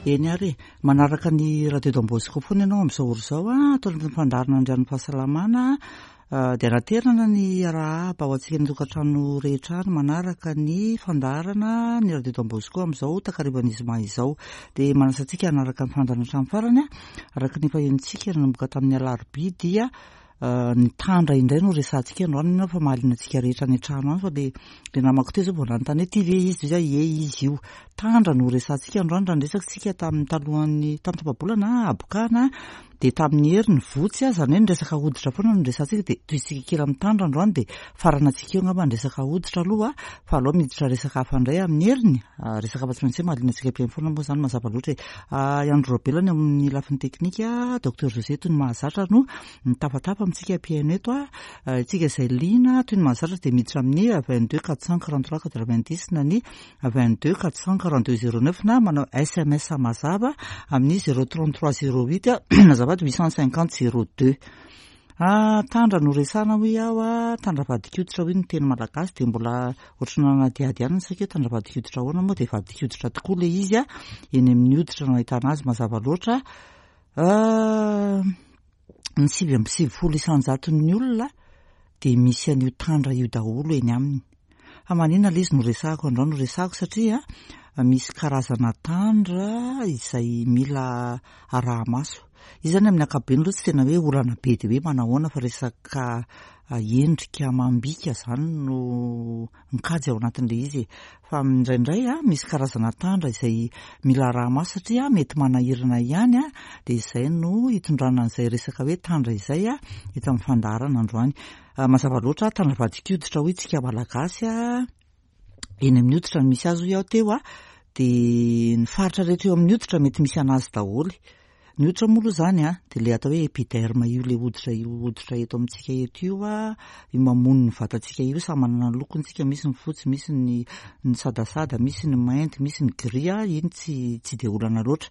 Eny ary e, manaraka ny Radio Don Bosco foana ianao amin'izao ora izao a, ato anatin'ny fandaharana Andrian'ny Fahasalamana dia anaterana ny arahaba ho antsika ny tokantrano rehetra any manaraka ny fandaharana ny Radio Don Bosco amin'izao takarivan'ny zoma izao. Dia manasa antsika hanaraka ny fandaharana hatramin'ny farany a, araka ny efa henontsika nanomboka tamin'ny alarobia dia Ny tandra indray no resahantsika androany mino aho fa mahaliana antsika rehetra any an-trano any fa le le namako teo zao vao nanontany hoe ty ve izy dia ie izy io. Tandra no resahantsika androany raha niresaka isika tamin'ny talohan'ny tamin'ny tapa-bolana habokana dia tamin'ny hery ny votsy izany hoe ny resaka hoditra foana no resahantsika dia tohizintsika kely amin'ny tandra androany dia faranantsika eo angamba ny resaka hoditra aloha fa aleo miditra resaka hafa indray amin'ny heriny. Resaka hafa tsy maintsy hoe mahaliana antsika mpihaino foana moa izany mazava loatra e. I Andry Raobelina eo amin'ny lafiny teknika, Docteur José toy ny mahazatra no Mitafatafa amintsika mpihaino eto a. Isika izay liana toy ny mahazatra dia miditra amin'ny 22 443 90 na ny 22 442 09 na manao sms mazava amin'ny 033 08 azafady 850 02. Ah, tandra no resahana hoy aho a, tandra vadin-koditra hoy ny teny malagasy dia mbola ohatry ny nanadihady ihany ny saiko hoe tandra vadin-koditra ahoana moa dia vadin-koditra tokoa ilay izy a, eny amin'ny hoditra no ahitana azy mazava loatra. Ah, ny 99 isan-jaton'ny olona dia misy an'io tandra io daholo eny aminy. Fa maninona ilay izy no resahako androany? No resahako satria misy karazana tandra izay mila araha-maso. Izy izany amin'ny ankapobeny aloha tsy tena hoe olana be dia hoe manahoana fa resaka endrika amam-bika izany no mikajy ao anatin'ilay izy e. Fa indraindray misy karazana tandra izay mila araha-maso satria mety manahirana ihany dia izay no hitondrana an'izay resaka hoe tandra izay eto amin'ny fandaharana androany. Mazava loatra tandra vadin-koditra hoy tsika malagasy eny amin'ny hoditra no misy azy hoy aho teo dia ny faritra rehetra eo amin'ny hoditra mety misy an'azy daholo. Ny hoditra moa aloha izany an, dia ilay atao hoe epiderme io ilay hoditra io hoditra eto amintsika eto io an, io mamono ny vatantsika io, samy manana ny lokony tsika, misy ny fotsy, misy ny ny sadasada, misy ny mainty, misy ny gris an, iny tsy tsy dia olana loatra.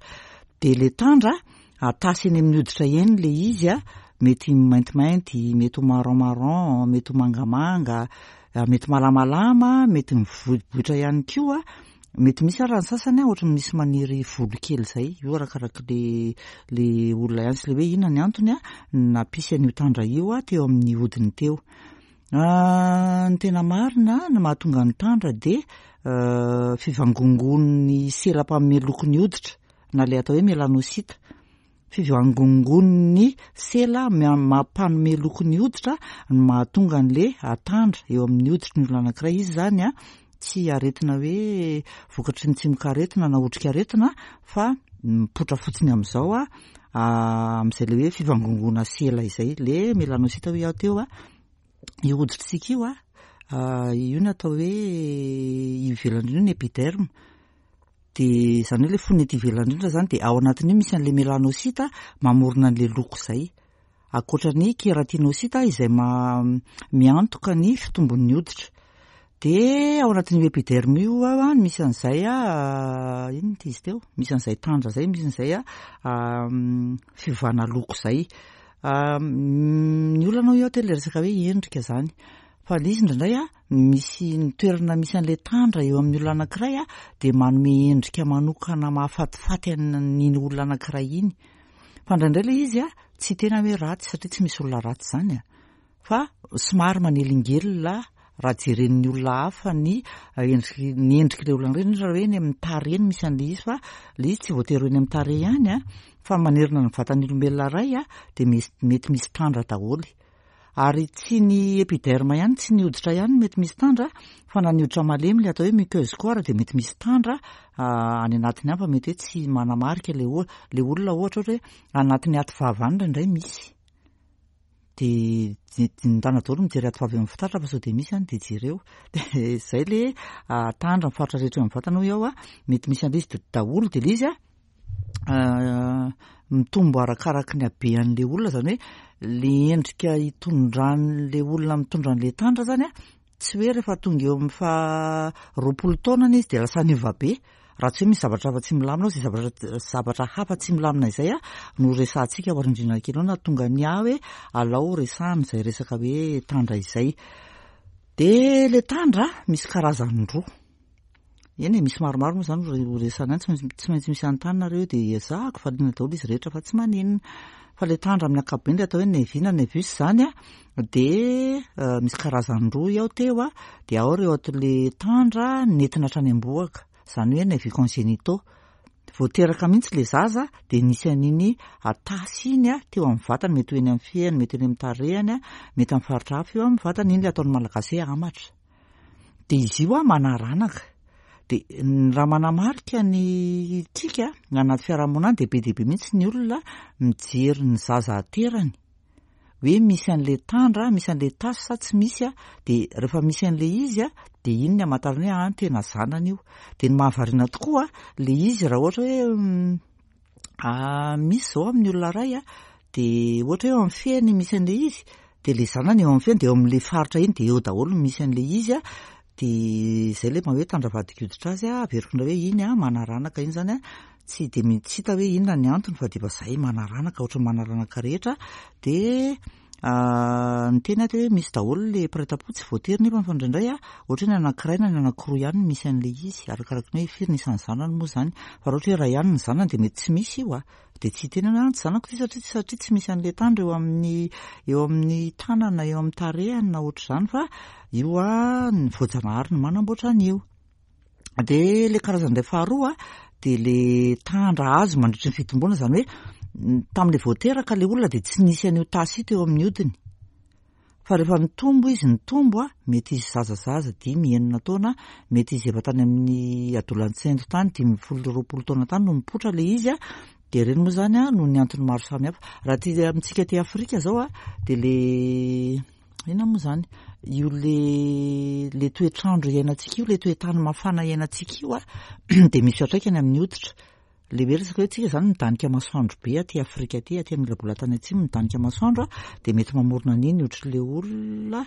Dia ilay tandra, atasy eny amin'ny hoditra eny ilay izy an, mety maintimainty, mety ho marron marron, mety ho mangamanga, mety malamalama, mety mivoiboitra ihany koa. Mety misy ara ny sasany ohatry ny misy maniry volo kely izay, io arakaraky le le olona ihany sy le hoe inona ny antony nampisy an'io tandra io teo amin'ny hodiny teo. Ny tena marina ny mahatonga ny tandra dia fivangongoan'ny sela mpanome loko ny hoditra na le atao hoe melanocyte. Fivangongoan'ny sela mampanome loko ny hoditra no mahatonga an'le tandra eo amin'ny hoditry ny olona anankiray. Izy izany a, tsy aretina hoe vokatry ny tsimokaretina na otrikaretina fa mipoitra fotsiny amin'izao a, amin'izay le hoe fivangongoana sela izay. Le melanocyte hoy aho teo a, io hoditritsika io a, io no atao hoe ivelany io ny epiderme. Dia izany hoe ilay fonony ety ivelany indrindra izany dia ao anatin'io misy an'ilay melanocyte mamorona an'ilay loko izay. Ankoatra ny keratinocyte izay miantoka ny fitombon'ny hoditra. Dia ao anatin'io epiderme io no misy an'izay inona ity izy teo? Misy an'izay tandra izay, misy an'izay fiovana loko izay. Ny olana hoy aho teo ilay resaka hoe endrika izany. Fa ilay izy indraindray a, misy ny toerana misy an'ilay tandra eo amin'ny olona anankiray a, dia manome endrika manokana mahafatifaty an'iny olona anankiray iny. Fa indraindray ilay izy a, tsy tena hoe ratsy satria tsy misy olona ratsy izany a, fa somary manelingelina raha jeren'ny olona hafa ny endriky ny endrik'ilay olona anankiray, indrindra raha hoe eny amin'ny tarehy no misy an'ilay izy fa ilay izy tsy voatery ho eny amin'ny tarehy ihany a, fa manerana ny vatan'ny olombelona iray a, dia mety misy tandra daholo. Ary tsy ny epiderme ihany, tsy ny hoditra ihany no mety misy tandra fa na ny hoditra malemy ilay atao hoe muqueuse koa ary dia mety misy tandra any anatiny any fa mety hoe tsy manamarika ilay o- ilay olona ohatra ohatra hoe anatin'ny aty vava any indraindray misy. Dia ndana daholo mijery aty vava eo amin'ny fitaratra fa sao dia misy any dia jereo. Dia izay ilay tandra ny faritra rehetra eo amin'ny vatana hoy aho a, mety misy an'ilay izy daholo dia ilay izy a, mitombo arakaraky ny habean'le olona zany hoe le endrika itondran'le olona mitondra an'le tandra zany a tsy hoe rehefa tonga eo amin'ny faha 20 taonany izy de lasa niova be raha tsy hoe misy zavatra hafa tsy milamina ao zay zavatra zavatra hafa tsy milamina izay a no resahantsika ao arindrina kely ao na tonga ny ahy hoe alao resahana izay resaka hoe tandra izay de le tandra misy karazany roa. Eny e, misy maromaro moa izany ho resahana any, tsy maintsy misy anontany nareo dia ezahako valiana daholo izy rehetra fa tsy maninona. Fa ilay tandra amin'ny ankapobeny ilay atao hoe nevi na nevus izany an, dia misy karazany roa ao teo an, dia ao ireo ato ilay tandra nentina hatrany am-bohoka, izany hoe nevi congénitaux. Vao teraka mihitsy ilay zaza dia nisy an'iny tasy iny teo amin'ny vatany, mety ho eny amin'ny fehiny, mety eny amin'ny tarehiny, mety amin'ny faritra hafa eo amin'ny vatany, iny ilay ataon'ny Malagasy hoe hamatra. Dia izy io manaranaka. Dia raha manamarika ny tsika anaty fiarahamonina any dia be dia be mihitsy ny olona mijery ny zaza aterany. Hoe misy an'ilay tandra, misy an'ilay tasy sa tsy misy a, dia rehefa misy an'ilay izy a, dia iny ny hamantarana hoe ah tena zanany io. Dia ny mahavariana tokoa ilay izy raha ohatra hoe misy izao amin'ny olona iray a, dia ohatra hoe eo amin'ny fehiny misy an'ilay izy, dia ilay zanany eo amin'ny fehiny dia eo amin'ilay faritra iny dia eo daholo no misy an'ilay izy a, dia izay ilay maha hoe tandra vadin-koditra azy a, averiko indray hoe iny a manaranaka iny izany a, tsy dia tsy hita hoe inona ny antony fa dia efa izay manaranaka ohatran'ny manaranaka rehetra, dia niteny aho teo hoe misy daholo ilay mpiray tampo tsy voatery nefa fa indraindray a ohatra hoe ny anankiray na ny anankiroa ihany no misy an'ilay izy arakaraky ny hoe firy ny isan'ny zanany moa izany, fa raha ohatra hoe iray ihany ny zanany dia mety tsy misy io a. Dia tsy hiteny hoe tsy zanako ity satria satria tsy misy an'ilay tandra eo amin'ny eo amin'ny tanana eo amin'ny tarehiny na ohatr'izany fa io a ny voajanahary no manamboatra an'io. Dia ilay karazana indray faharoa dia ilay tandra azo mandritry ny fitomboana izany hoe tamin'ilay vao teraka ilay olona dia tsy nisy an'io tasy io teo amin'ny hodiny. Fa rehefa nitombo izy, nitombo a, mety izy zazazaza dimy, enina taona, mety izy efa tany amin'ny adolantsento tany, 15, 20 taona tany no nipoitra ilay izy a, dia ireny moa izany a, noho ny antony maro samihafa. Raha aty amintsika aty Afrika izao a, dia le inona moa izany, io le le toetr'andro iainantsika io, le toetany mafana iainantsika io a, dia misy fiantraikany amin'ny hoditra. Le hoe resaka hoe tsika zany midanika masoandro be aty Afrika aty, aty amin'ny labolatany atsimo midanika masoandro a, dia mety mamorona an'iny ohatry le olona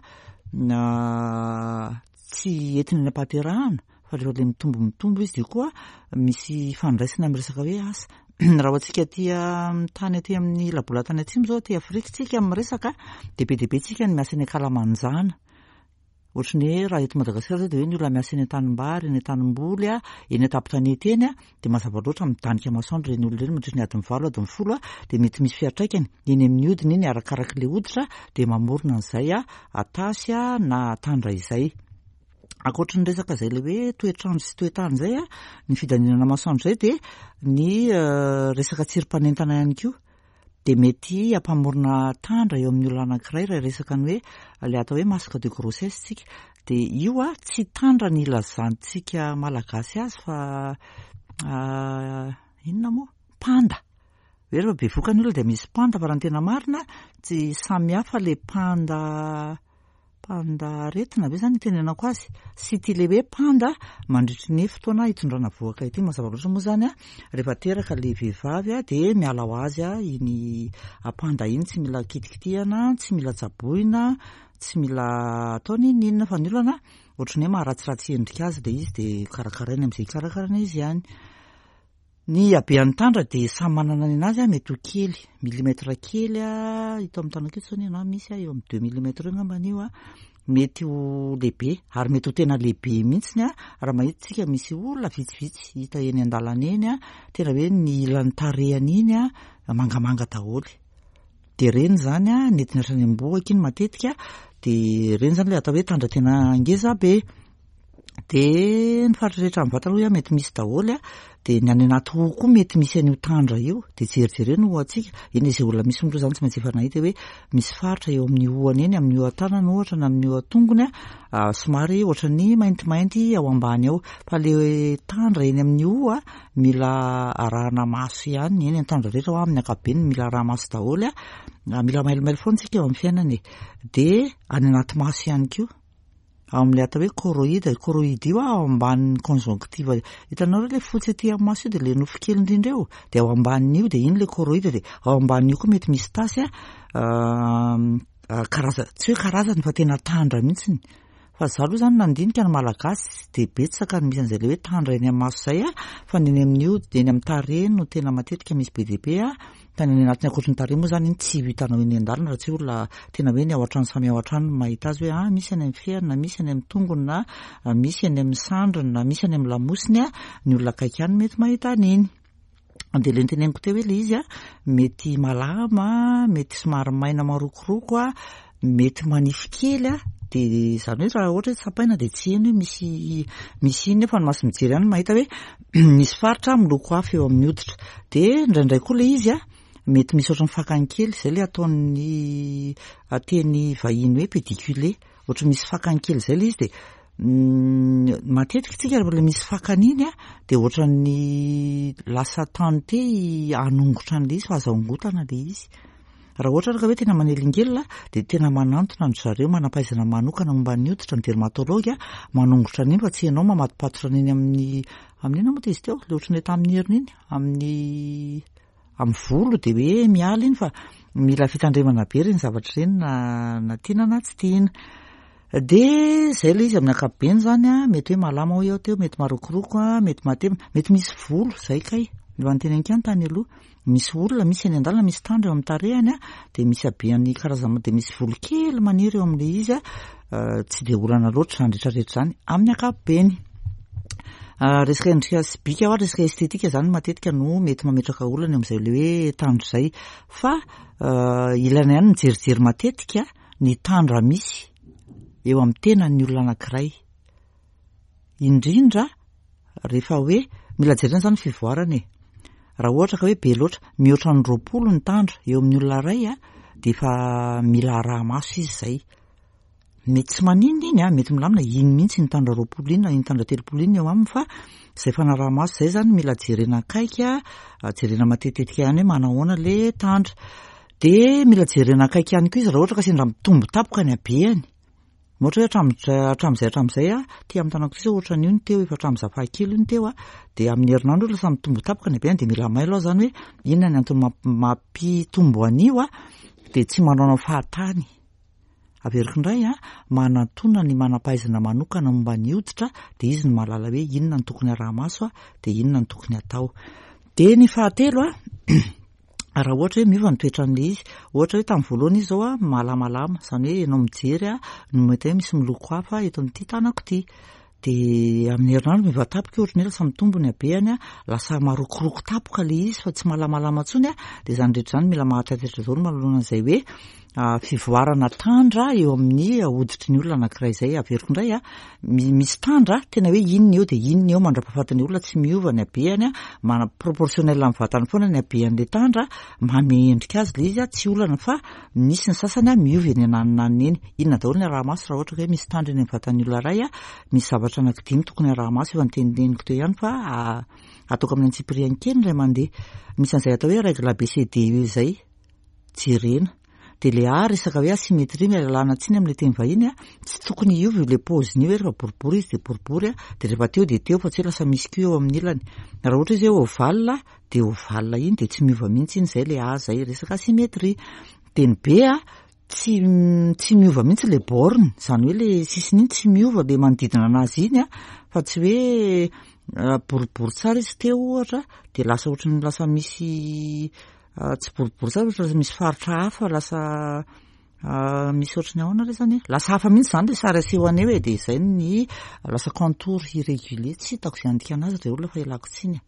tsy entiny any am-pahaterahana fa rehefa le mitombo mitombo izy dia koa misy ifandraisany amin'ny resaka hoe asa. Raha ho antsika aty amin'ny tany aty amin'ny labolatany atsimo zao aty Afrika tsika miresaka dia be dia be tsika ny miasa eny ankalamanjana. Ohatry ny hoe raha eto Madagasikara izao dia hoe ny olona miasa eny an-tanimbary, eny an-tanimboly, eny an-tampon-tanety eny dia mazava loatra midanika masoandro ireny olona ireny mandritra ny adiny valo, adiny folo dia mety misy fiantraikany eny amin'ny hodiny iny arakarak'ilay hoditra dia mamorona an'izay atasy na tandra izay. Ankoatry ny resaka izay ilay hoe toetr'andro sy toetany izay, ny fidaninana masoandro izay dia ny resaka tsirim-panentana ihany koa. dia mety hampamorona tandra eo amin'ny olona anankiray raha hiresaka ny hoe ilay atao hoe masque de grossesse tsika. Dia io a, tsy tandra ny ilazantsika malagasy azy fa inona moa? Panda. Hoe rehefa bevoka ny olona dia misy panda fa raha ny tena marina tsy samy hafa ilay panda Panda aretina ve zany itenenako azy? Sy ity le hoe panda mandritry ny fotoana hitondrana vohoka ity. Mazava loatra moa zany a, rehefa teraka le vehivavy a dia miala ho azy a iny panda iny, tsy mila kitikitihana, tsy mila tsaboina, tsy mila atao n'inon'inona fa ny olana ohatran'ny hoe maharatsiratsy endrika azy le izy dia karakaraina amin'izay hikarakarana izy ihany. Ny habean'ny tandra dia samy manana ny anazy, mety ho kely, millimètre kely, hita amin'ny tanako eto izao ny anahy misy eo amin'ny deux millimètres eo angambany io, mety ho lehibe ary mety ho tena lehibe mihitsiny raha mahita isika misy olona vitsivitsy hita eny an-dalana eny, tena hoe ny ilan'ny tarehiny iny mangamanga daholo. Dia ireny izany nentina hatrany am-bohoka iny matetika, dia ireny izany ilay atao hoe tandra tena ngeza be. Dia ny faritra rehetra amin'ny vatana hoy aho mety misy daholo a, dia ny any anaty hoho koa mety misy an'io tandra io, dia jerijereo ny hohontsika, eny izay olona misy moa izany tsy maintsy efa nahita hoe misy faritra eo amin'ny hohony eny, amin'ny hohon-tanana ohatra na amin'ny hohon-tongony a, somary ohatran'ny maintimainty ao ambany ao, fa le tandra eny amin'ny hoho a, mila arahana maso ihany, eny ny tandra rehetra hoa amin'ny ankapobeny mila araha-maso daholo a, mila mailomailo foana isika eo amin'ny fiainana e, dia any anaty maso ihany koa. Ao amin'ilay atao hoe choroïde, io choroïde io ao ambanin'ny conjonctive, hitanao re ilay fotsy aty amin'ny maso io dia ilay nofo kely indrindra eo, dia ao ambanin'io dia iny ilay choroïde dia ao ambanin'io koa mety misy tasy a, karazana, tsy hoe karazany fa tena tandra mihitsiny. Fa za aloha zany nandinika ny Malagasy tsy dia betsaka ny misy an'izay le hoe tandra eny amin'ny maso izay a, fa ny eny amin'ny hody, eny amin'ny tarehy no tena matetika misy be dia be a, fa ny any anatiny ankoatry ny tarehy moa zany iny tsy ho hitanao eny an-dalana raha tsy olona tena hoe ny ao an-trano samy ao an-trano no mahita azy hoe ah misy any amin'ny feriny na misy any amin'ny tongony na misy any amin'ny sandriny na misy any amin'ny lamosiny a, ny olona akaiky ihany mety mahita an'iny. Dia ilay noteneniko teo hoe ilay izy a, mety malama, mety somary maina marokoroko a, mety manify kely a, dia izany hoe raha ohatra hoe tsapaina dia tsy heno hoe misy misy inona eo fa ny maso mijery ihany no mahita hoe misy faritra miloko hafa eo amin'ny hoditra. Dia indraindray koa ilay izy a, mety misy ohatran'ny fakany kely, izay ilay ataon'ny teny vahiny hoe pédiculé. Ohatry misy fakany kely izay ilay izy dia matetika tsika rehefa ilay misy fakany iny a dia ohatran'ny lasa tante hanongotra an'ilay izy fa aza ongotana ilay izy. Raha ohatra ary ka hoe tena manelingelina dia tena manantona an-dry zareo manam-pahaizana manokana momba ny hoditra, ny dermatologue manongotra an'iny fa tsy ianao mamatopatotra an'iny amin'ny amin'ny inona moa izy teo? Ilay ohatran'ny ilay tamin'ny heriny iny, amin'ny amin'ny volo dia hoe miala iny fa mila fitandremana be ireny zavatra ireny na na tiana na tsy tiana. Dia izay ilay izy amin'ny ankapobeny izany an, mety hoe malama hoy aho teo, mety marokoroko an, mety matevina, mety misy volo, izay kay, efa noteneniko ihany tany aloha, misy olona misy eny an-dalana misy tandra eo amin'ny tarehiny an, dia misy habean'ny karazana, dia misy volo kely maniry eo amin'ilay izy an, tsy dia olana loatra izany rehetra rehetra izany amin'ny ankapobeny. Resaka endrika sy bika hoa, resaka estetika izany matetika no mety mametraka olana eo amin'izay le hoe tandra izay. Fa ilaina ihany mijerijery matetika ny tandra misy eo amin'ny tenan'ny olona anankiray. Indrindra rehefa hoe mila jerena izany ny fivoarana e. Raha ohatra ka hoe be loatra, mihoatra ny 20 ny tandra eo amin'ny olona iray dia efa mila araha-maso izy izay. Mety tsy maninona iny an, mety milamina, iny mihitsy iny tandra 20 iny na iny tandra 30 iny eo aminy fa izay fanaraha-maso izay izany mila jerena akaiky, jerena matetitetika ihany hoe manahoana le tandra. Dia mila jerena akaiky ihany koa izy raha ohatra ka sendra mitombo tampoka ny habehany. Ohatra hoe hatramin'izay hatramin'izay an, aty amin'ny tanako ity izao ohatran'io ny teo, efa hatramin'izaho fahakely io ny teo an, dia amin'ny herinandro io lasa mitombo tampoka ny habehany dia mila mailo aho izany hoe inona ny antony mampitombo an'io an, dia tsy manaonao fahatany. Averiko indray an, manantona ny manam-pahaizana manokana momba ny hoditra dia izy no mahalala hoe inona no tokony araha-maso dia inona no tokony atao. Dia ny fahatelo an, raha ohatra hoe miova ny toetran'ilay izy, ohatra hoe tamin'ny voalohany izy izao an, malamalama, izany hoe ianao mijery an, no mahita hoe misy miloko hafa eto amin'ity tanako ity. Dia amin'ny herinandro miova tampoka io, ohatran'ny hoe lasa mitombo ny habehany, lasa marokoroko tampoka ilay izy fa tsy malamalama intsony, dia izany rehetra izany mila mahataitaitra daholo manoloana an'izay hoe fivoarana tandra eo amin'ny hoditry ny olona anankiray izay. Averiko indray, misy tandra tena hoe iny ny eo dia iny ny eo mandra-pahafatin'ny olona, tsy miova ny habehany, mana proportionnel amin'ny vatany foana ny habehan'ilay tandra, manome endrika azy ilay izy, tsy olana fa misy ny sasany miova eny ananonanony eny. Inona daholo ny araha-maso raha ohatra ka hoe misy tandra eny amin'ny vatan'ny olona iray? Misy zavatra anankidimy tokony araha-maso, efa noteniteniko teo ihany fa ataoko amin'ny antsipiriany kely indray mandeha. Misy an'izay atao hoe règle ABCDE izay jerena. Dia ilay A resaka hoe asymétrie, miala lalana tsiny amin'ilay teny vahiny, tsy tokony hiova io ilay paoziny io hoe rehefa boribory izy dia boribory, dia rehefa teo dia teo fa tsy hoe lasa misy koa eo amin'ny ilany. Raha ohatra izy hoe ovale dia ovale iny dia tsy miova mihitsy iny, izay ilay A izay, resaka asymétrie. Dia ny B tsy tsy miova mihitsy le borne, izany hoe le sisiny iny tsy miova le manodidina anazy iny a, fa tsy hoe boribory tsara izy teo ohatra de lasa ohatran'ny lasa misy tsy boribory tsara fa lasa misy faritra hafa lasa misy ohatran'ny ahoana re zany e, lasa hafa mihitsy zany le sary aseho an'eo e, de izay ny lasa contour irrégulier, tsy hitako izay handikana azy re olona fa ialako tsiny a.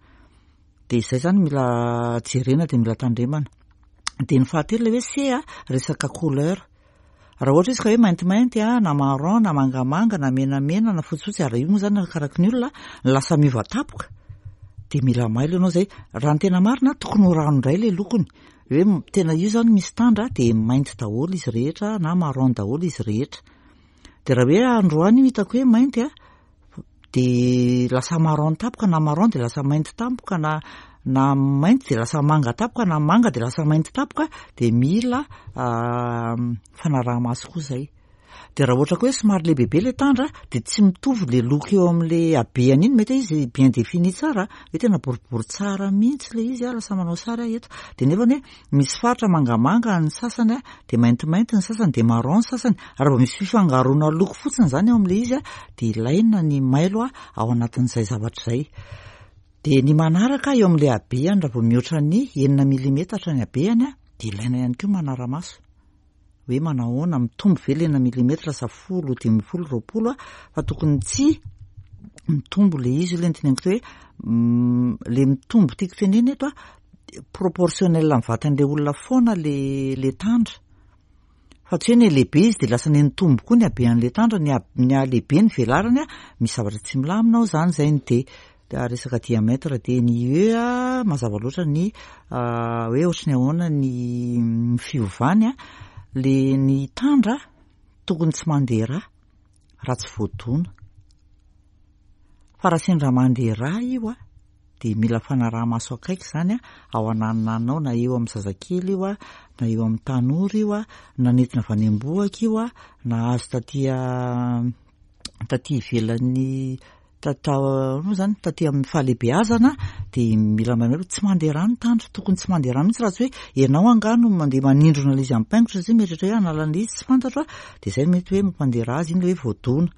De izay zany mila jerena de mila tandremana. De ny fahatelo ilay hoe C a, resaka couleur. Raha ohatra izy ka hoe maintimainty a, na marron, na mangamanga, na menamena, na fotsifotsy, ary io moa zany arakaraky ny olona, lasa miova tampoka, de mila mailo ianao zay. Raha ny tena marina, tokony ho rano indray ilay lokony. Hoe tena io zany misy tandra de mainty daholo izy rehetra na marron daholo izy rehetra. De raha hoe androany io hitako hoe mainty a, de lasa marron tampoka na marron de lasa mainty tampoka na na mainty de lasa manga tampoka na manga de lasa mainty tampoka de mila fanaraha-maso koa zay. Dia raha ohatra koa hoe somary lehibebe ilay tandra dia tsy mitovy ilay loko eo amin'ilay habehany iny, mety hoe izy bien défini tsara, hoe tena boribory tsara mihitsy ilay izy, lasa manao sary aho eto. Dia nefany hoe misy faritra mangamanga ny sasany dia maintimainty ny sasany dia marron ny sasany. Raha vao misy fifangaroana loko fotsiny izany eo amin'ilay izy dia ilaina ny mailo ao anatin'izay zavatra izay. Dia ny manaraka eo amin'ilay habehany, raha vao mihoatra ny enina milimetatra ny habehany dia ilaina ihany koa manara-maso. Hoe manahoana, mitombo ve le enina milimetra sa folo, 15, 20 a, fa tokony tsy mitombo le izy, io le noteneniko teo hoe le mitombo tiako tenena eto a, proportionnel amin'ny vatan'le olona foana le le tandra, fa tsy hoe ny lehibe izy de lasa nitombo koa ny habean'le tandra, ny ny halehibe ny velarany a, misy zavatra tsy milamina ao zany, zay ny dia. Resaka diamètre dia ny UE mazava loatra ny hoe ohatry ny ahoana ny fiovany a, le ny tandra tokony tsy mandeha rà raha tsy voadona, fa raha sendra mandeha rà io a dia mila fanaraha-maso akaiky izany a, ao ananonanona ao na eo amin'ny zazakely io a, na eo amin'ny tanora io a, na nentina avy any am-bohoka io a, na azo taty taty ivelan'ny Tatao moa zany taty amin'ny fahalehibeazana dia mila mahay hoe tsy mandeha rà ny tandra, tokony tsy mandeha rà mihitsy raha tsy hoe ianao angaha no mandeha manindrona ilay izy amin'ny paingotra satria mieritreritra hoe hanala an'ilay izy tsy fantatro a, dia izay mety hoe mampandeha rà azy iny ilay hoe voadona.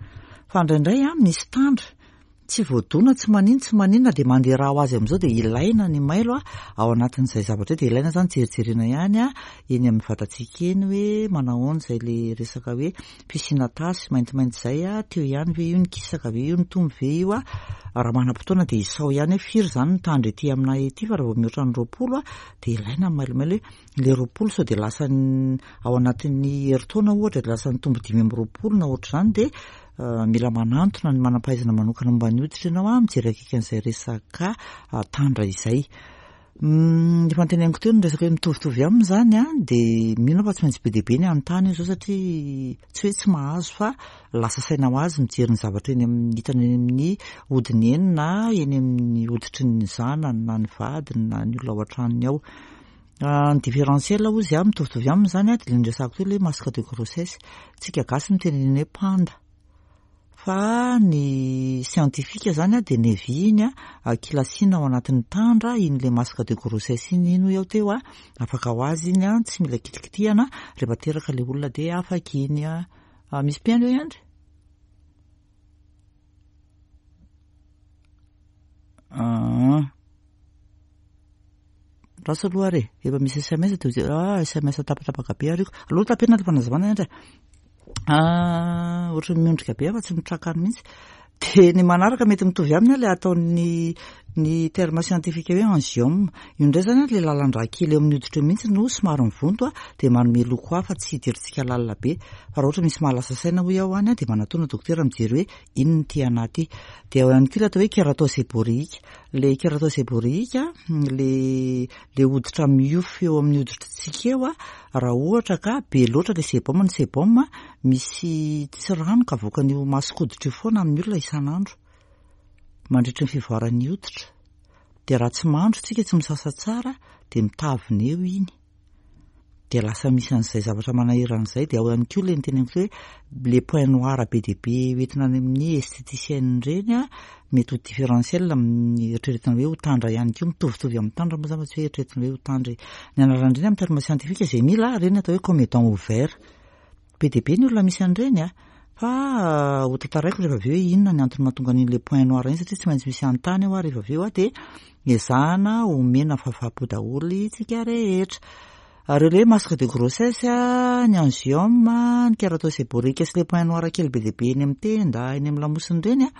Fa indraindray a misy tandra tsy voadona tsy manino tsy maninona dia mandeha rà ho azy amin'izao dia ilaina ny mailo a ao anatin'izay zavatra izay dia ilaina izany jerijerena ihany a eny amin'ny vatantsika eny hoe manahoana izay le resaka hoe Fisiana tasy maintimainty izay a, teo ihany ve io, nikisaka ve io, nitombo ve io a, raha manam-potoana dia isao ihany hoe firy izany ny tandra ety aminay ety fa raha vao mihoatra ny 20 a, dia ilaina ny mailomailo hoe ilay 20 sao dia lasa ao anatin'ny herintaona ohatra dia lasa nitombo 25 na ohatr'izany dia mila manantona ny manam-pahaizana manokana momba ny hoditra ianao a, mijery akaiky an'izay resaka tandra izay. Efa noteneniko teo ny resaka hoe mitovitovy aminy izany an, dia mino aho fa tsy maintsy be dia be ny hanontany eo izao satria tsy hoe tsy mahazo fa lasa saina ho azy mijery ny zavatra eny amin'ny hitany eny amin'ny hodiny eny na eny amin'ny hoditry ny zanany na ny vadiny na ny olona ao an-tranony ao. Ny différentiel hozy an, mitovitovy aminy izany an, dia ilay niresahako teo ilay hoe masque de grossesse. Tsika gasy miteny an'iny hoe panda. Fa ny scientifique zany dia nevi iny a, kilasiana ao anatin'ny tandra iny le masque de grossesse iny, iny hoy aho teo a, afaka ho azy iny a, tsy mila kitikitihana, rehefa teraka le olona dia afaka iny a. Misy mpihaino ve Andry? Aa. Lasa aloha ary e, efa misy sms dia hoje- ah sms tapatapaka be ary io. Aleo tapena le fanazavana Andry e. Ah, ohatran'ny miondrika be aho fa tsy mitraka any mihitsy. Dia ny manaraka mety mitovy aminy ilay ataon'ny ny terme scientifique hoe angiome. Io indray izany ilay lalan-drà kely eo amin'ny hoditra eo mihitsy no somary mivonto dia manome loko hafa tsy hidirantsika lalina be. Fa raha ohatra misy mahalasa saina hoy aho any dia manatona dokotera mijery hoe inona ity anà ity. Dia ao ihany koa ilay atao hoe kératose séborrhéique. Ilay kératose séborrhéique, ilay ilay hoditra miofo eo amin'ny hoditritsika eo, raha ohatra ka be loatra ilay sébum, ny sébum misy tsiranoka avoakan'io mason-koditra io foana amin'ny olona isan'andro mandritry ny fivoaran'ny hoditra. Dia raha tsy mandro tsika, tsy misasa tsara, dia mitavina eo iny. Dia lasa misy an'izay zavatra manahirana izay, dia ao ihany koa ilay noteneniko hoe le point noir be dia be hoentina any amin'ny esthéticienne ireny an, mety ho différentiel amin'ny eritreretina hoe ho tandra ihany koa, mitovitovy amin'ny tandra moa izany fa tsy hoe eritreretina hoe ho tandra e. Ny anaran'ireny amin'ny terme scientifique izay mila, ireny atao hoe comédon ouvert. Be dia be ny olona misy an'ireny an, fa ho tantaraiko rehefa avy eo hoe inona ny antony mahatonga an'iny le point noir iny satria tsy maintsy misy hanontany eo aho rehefa avy eo an, dia ezahana omena fahafaham-po daholo isika rehetra. Ary ilay hoe masque de grossesse, ny angiome, ny kératose séborrhéique sy le point noir kely be dia be eny amin'ny tenda, eny amin'ny lamosina ireny an,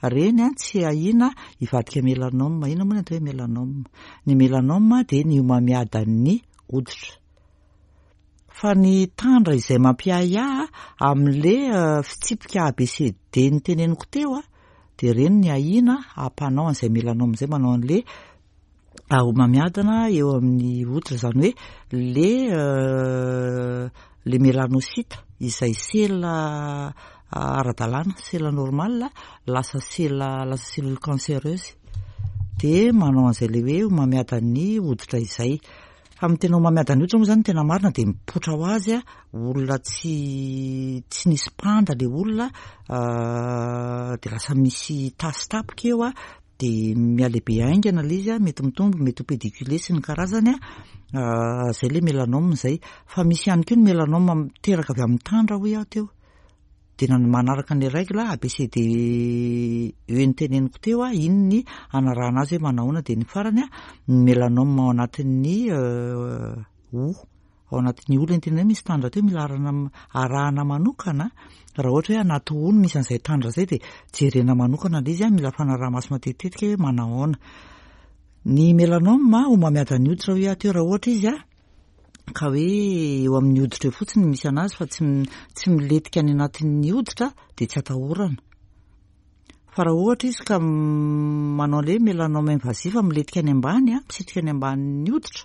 ireny an tsy ahiana hivadika mélanome. Inona moa ny atao hoe mélanome? Ny mélanome dia ny homamiadan'ny hoditra. Fa ny tandra izay mampiahiahy amin'le fitsipika ABCD noteneniko teo dia ireny ny ahiana hampanao an'izay melanome izay manao an'le homamiadana eo amin'ny hoditra, izany hoe le le melanocyte izay sela ara-dalàna, sela normal lasa sela lasa cellule cancéreuse dia manao an'izay le hoe homamiadan'ny hoditra izay. Fa amin'ny tena homamiadan'ny hoditra moa izany ny tena marina dia mipoitra ho azy olona tsy tsy nisy mpanda ilay olona dia lasa misy tasy tapoka eo dia mihalehibe haingana ilay izy, mety mitombo, mety ho pédiculé sy ny karazany, izay ilay mélanome izay. Fa misy ihany koa ny mélanome miteraka avy amin'ny tandra hoy aho teo. Dia na ny manaraka ny règle A B C D E noteneniko teo, iny ny hanarahana azy hoe manahoana. Dia ny farany, ny mélanome ao anatin'ny hoho. Ao anatin'ny hoho ilay nitenenina hoe misy tandra teo mila arahana arahana manokana. Raha ohatra hoe anaty hoho no misy an'izay tandra izay dia jerena manokana ilay izy, mila fanaraha-maso matetitetika hoe manahoana. Ny mélanome, homamiadan'ny hoditra hoy aho teo, raha ohatra izy ka hoe eo amin'ny hoditra eo fotsiny no misy anazy fa tsy tsy milentika any anatin'ny hoditra dia tsy atahorana. Fa raha ohatra izy ka manao ilay hoe mélanome invasif milentika any ambany, misitrika any ambanin'ny hoditra,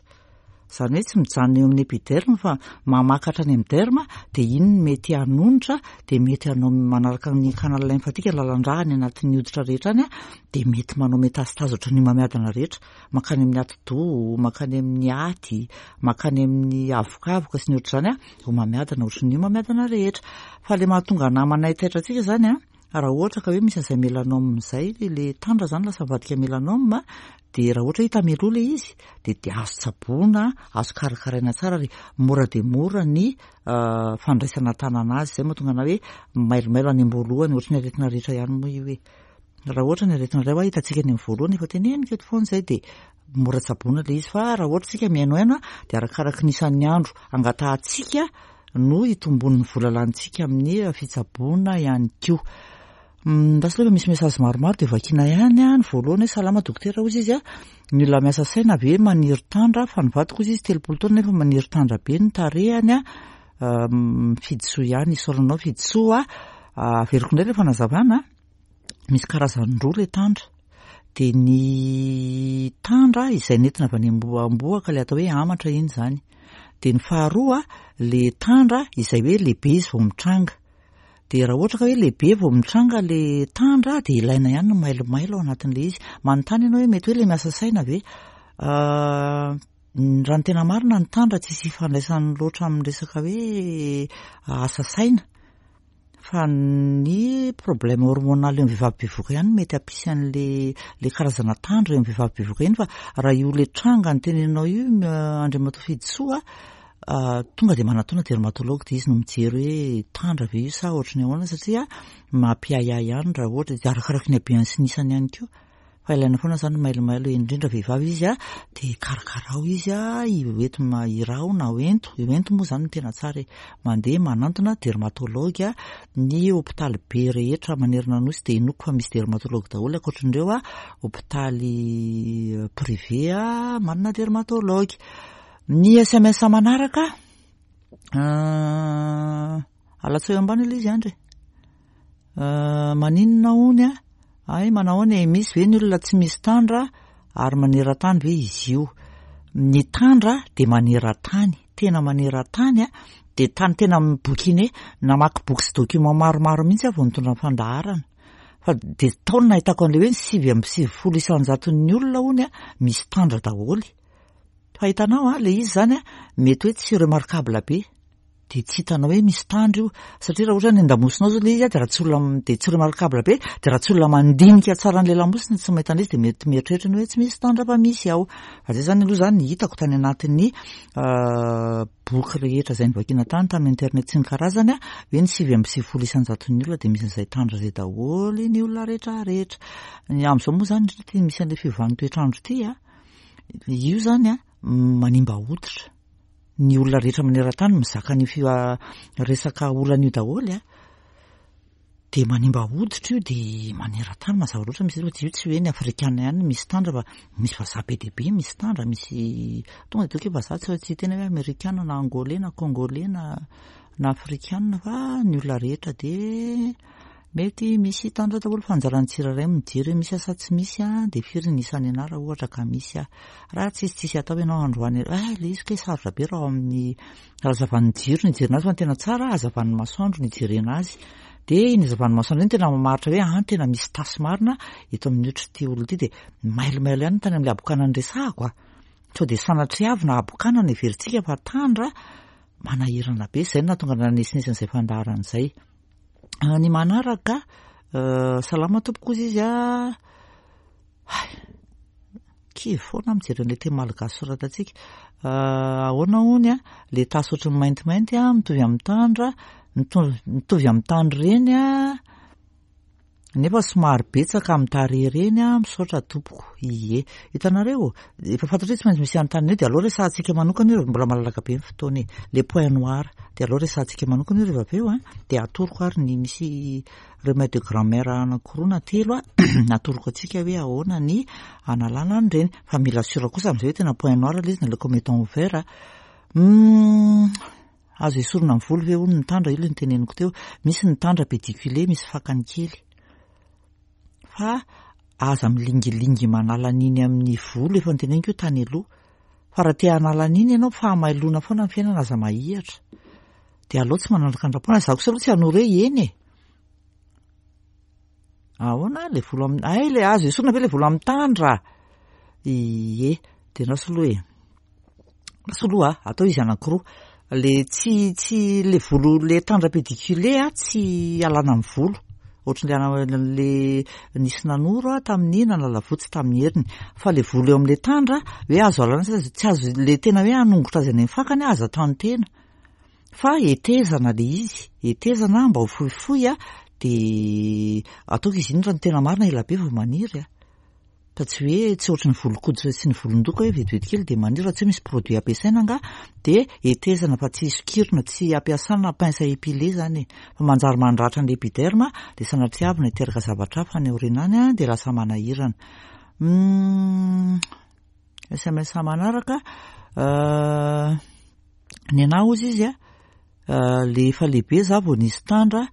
izany hoe tsy mijanona eo amin'ny épiderme fa mamaka hatrany amin'ny derme, dia iny no mety hanonitra, dia mety hanao manaraka ny canal lymphatique, lalan-drà any anatin'ny hoditra rehetra any, dia mety manao métastase ohatran'ny homamiadana rehetra, mankany amin'ny atidoha, mankany amin'ny aty, mankany amin'ny avokavoka sy ny ohatr'izany, homamiadana ohatran'ny homamiadana rehetra. Fa ilay mahatonga anà manaitaitra antsika izany an, Raha ohatra ka hoe misy an'izay mélanome izay, ilay tandra izany lasa mivadika mélanome, dia raha ohatra hita mialoha ilay izy, dia dia azo tsaboina, azo karakaraina tsara ary mora dia mora ny fandraisana an-tanana azy. Izay mahatonga anà hoe mailomailo any am-boalohany, ohatry ny aretina rehetra ihany moa io e. Raha ohatra ny aretina iray hoa hitantsika any amin'ny voalohany, efa teneniko eto foana izay, dia mora tsaboina ilay izy. Fa raha ohatra isika mihainohaino dia arakaraky ny isan'ny andro angatahantsika no hitomboan'ny vola lanintsika amin'ny fitsaboana ihany koa. Lasa aloha misy message maromaro dia vakiana ihany an, ny voalohany hoe salama dokotera hozy izy an, ny olona miasa saina ve maniry tandra fa ny vadiko hozy izy 30 taona nefa maniry tandra be ny tarehany an, Fidisoa ihany, isaorana anao Fidisoa a, averiko indray ilay fanazavana. Misy karazany roa ilay tandra. Dia ny tandra izay nentina avy any ambohaka ilay atao hoe amatra iny izany. Dia ny faharoa ilay tandra izay hoe lehibe izy vao mitranga. Dia raha ohatra ka hoe lehibe vao mitranga ilay tandra dia ilaina ihany ny mailomailo ao anatin'ilay izy. Manontany ianao hoe mety hoe ilay miasa saina ve? Raha ny tena marina ny tandra tsisy ifandraisany loatra amin'ny resaka hoe asa saina. Fa ny problème hormonal eo amin'ny vehivavy bevohoka ihany no mety hampisy an'le le karazana tandra eo amin'ny vehivavy bevohoka iny fa raha io le tranga noteneninao io Andriamatoa Fidisoa a, tonga dia manatona dermatologue dia izy no mijery hoe tandra ve io sa ohatry ny ahoana satria mampiahiahy ihany raha ohatra dia arakaraky ny habehany sy ny isany ihany koa. Fa ilaina foana zany mailomailo indrindra vehivavy izy a, de karakarao izy a, hoento iraho na hoento, hoento moa zany no tena tsara e, mandeha manantona dermatologue, ny hopitaly be rehetra manerana ny nosy de inoako fa misy dermatologue daholo ankoatran'ireo a, hopitaly privé a manana dermatologue. Ny sms manaraka, alatsaho eo ambany aloha izy Andry e. Maninona hono a? Hay manahoana e, misy ve ny olona tsy misy tandra ary maneran-tany ve izy io? Ny tandra dia maneran-tany, tena maneran-tany a, dia tany tena mi-bouquiner, namaky boky sy document maromaro mihitsy aho vao nitondra ny fandaharana. Fa dia tao no nahitako an'ilay hoe ny 99 isan-jaton'ny olona hono a, misy tandra daholo. Fa hitanao a, ilay izy izany a, mety hoe tsy remarquable be. dia tsy hitanao hoe misy tandro io, satria raha ohatra any an-damosinao zao ilay izy dia raha tsy olona dia tsy remarquable be, dia raha tsy olona mandinika tsara an'ilay lamosina tsy mahita an'ilay izy dia mety mieritreritra ny hoe tsy misy tandra fa misy ao. Fa zay zany aloha zany hitako tany anatin'ny boky rehetra izay novakiana tany tamin'ny internet sy ny karazany hoe ny 99 isan-jaton'ny olona dia misy an'izay tandra izay daholo ny olona rehetra rehetra. Ny amin'izao moa zany indrindra ity misy an'ilay fiovan'ny toetr'andro ity a, io zany a manimba hoditra. Ny olona rehetra maneran-tany mizaka an'io fi- resaka olana io daholo a, dia manimba hoditra io dia maneran-tany mazava loatra misy fa io tsy hoe ny afrikana ihany no misy tandra fa misy vazaha be dia be misy tandra, misy tonga dia ataoko hoe vazaha tsy tsy tena hoe amerikana na angolais na congolais na na afrikana fa ny olona rehetra dia mety misy tandra daholo fa anjaran'ny tsirairay mijery hoe misy aho sa tsy misy a, dia firy ny isan'ny anah raha ohatra ka misy aho. Raha tsisy tsisy atao ianao androany eh le izy kay sarotra be raha ao amin'ny hazavan'ny jiro ny hijerena azy fa ny tena tsara hazavan'ny masoandro ny hijerena azy. Dia iny hazavan'ny masoandro iny tena mamaritra hoe an tena misy tasy marina eto amin'ny otr'ity olona ity dia mailomailo ihany ny tany amin'ilay habokana niresahako a. Sao dia sanatriavina habokana no heverintsika fa tandra manahirana be. Izay no nahatonga nanesinesina izay fandaharana izay. Ny manaraka, salama tompoko hozy izy a. Hay, kivy foana aho mijery an'ilay teny malagasy soratantsika. Ahoana hono a, ilay tasy ohatran'ny maintimainty a, mitovy amin'ny tandra, mitovy amin'ny tandra ireny a. Nefa somary betsaka amin'ny tarehy ireny a, misaotra tompoko. Ie. Hitanareo, efa fantatro hoe tsy maintsy misy anontaniana eo dia aleo resahantsika manokana io, mbola malalaka be ny fotoana e. Les points noirs, dia aleo resahantsika manokana io rehefa avy eo a, dia atoroko ary ny misy remède de grand-mère anankiroa na telo a, atoroko antsika hoe ahoana ny analana an'ireny. Fa mila sûr kosa amin'izay hoe tena point noir ilay izy na ilay comme étant ouvert a. Azo esorina amin'ny volo ve hono ny tandra? Io ilay noteneniko teo. Misy ny tandra pédiculé, misy fakany kely. Fa aza milingilingy manala an'iny amin'ny volo, efa noteneniko io tany aloha. Fa raha te hanala an'iny ianao, fahamailoana foana ny fiainana, aza mahihatra. Dia aleo tsy manandrakandrapona. Izaho kosa aloha tsy hanoro hoe eny e. Ahoana ilay volo amin'ny, hay ilay azo esorina ve ilay volo amin'ny tandra? Ie, dia andraso aloha e. Andraso aloha a, atao izy anankiroa. Le tsy, tsy, le volo, le tandra pédiculé a, tsy alana amin'ny volo. Ohatran'le le nisy nanoro a tamin'ny nanala votsy tamin'ny heriny. Fa le volo eo amin'le tandra, hoe azo alana sa tsy azo, le tena hoe hanongotra azy any amin'ny fakany a, aza atao-tena. Fa hetezana le izy, hetezana mba ho fohifohy a, de ataoko izy iny raha ny tena marina ela be vao maniry a. Fa tsy hoe tsy ohatry ny volon-koditra sy ny volon-doka hoe vetivety kely dia maniry raha tsy hoe misy produit ampiasaina angaha dia hetezana fa tsy sokirina, tsy ampiasana pince à épiler zany e. Fa manjary mandratra ny épiderme dia sanatriavina hiteraka zavatra hafa any aoriana any dia lasa manahirana. Humm sms manaraka, ny anah hozy izy a. Le efa lehibe za vao nisy tandra,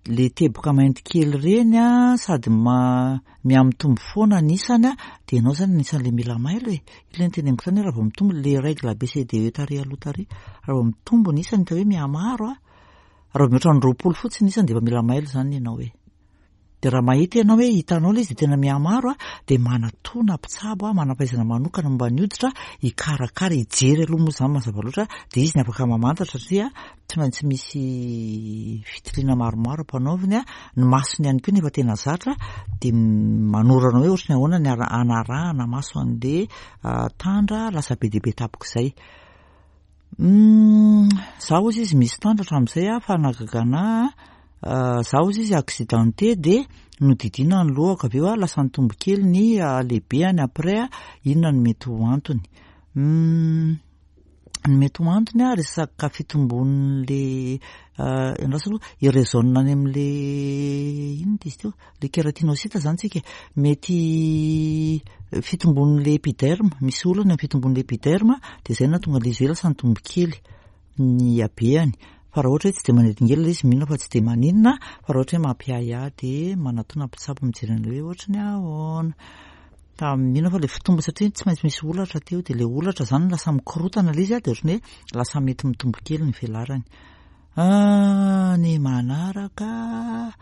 le teboka mainty kely ireny a, sady mihamitombo foana ny isany a, de ianao zany anisan'le mila mailo e, io le noteneniko tany hoe raha vao mitombo le règle ABCDE tary aloha tary, raha vao mitombo ny isany hita hoe mihamaro a, raha vao mihoatra ny 20 fotsiny ny isany de efa mila mailo zany ianao e. Dia raha mahita ianao hoe hitanao ilay izy dia tena mihamaro a, dia manatona mpitsabo a, manam-pahaizana manokana momba ny hoditra hikarakara, hijery aloha moa izany mazava loatra, dia izy ny afaka mamantatra satria tsy maintsy misy fitiliana maromaro ampanaoviny a, ny masony ihany koa nefa tena zatra dia manoro anao hoe ohatry ny ahoana ny hanarahana maso an'ilay tandra lasa be dia be tampoka izay. Humm za ozy izy misy tandra hatramin'izay ah fa nahagaga anah ah, za ozy izy accidenté de nodidiana ny lohako avy eo ah lasa nitombo kely ny halehibehany après ah inona no mety ho antony? Humm ny mety ho antony ah resaka fitombon'le andraso aloha i-raisonne any amin'le inona izy teo? Le keratinocyte zany tsika e, mety fitombon'le epiderme, misy olana eo amin'ny fitombon'le epiderme dia zay no nahatonga an'le izy hoe lasa nitombo kely ny habehany. Fa raha ohatra hoe tsy dia manelingelina ilay izy mino aho fa tsy dia maninona, fa raha ohatra hoe mampiahiahy dia manatona mpitsabo mijery an'ilay hoe ohatry ny ahoana. Fa mino aho fa le fitombo satria tsy maintsy misy holatra teo dia le holatra zany lasa mikorotana ilay izy dia ohatry ny hoe lasa mety mitombo kely ny velarany. Ny manaraka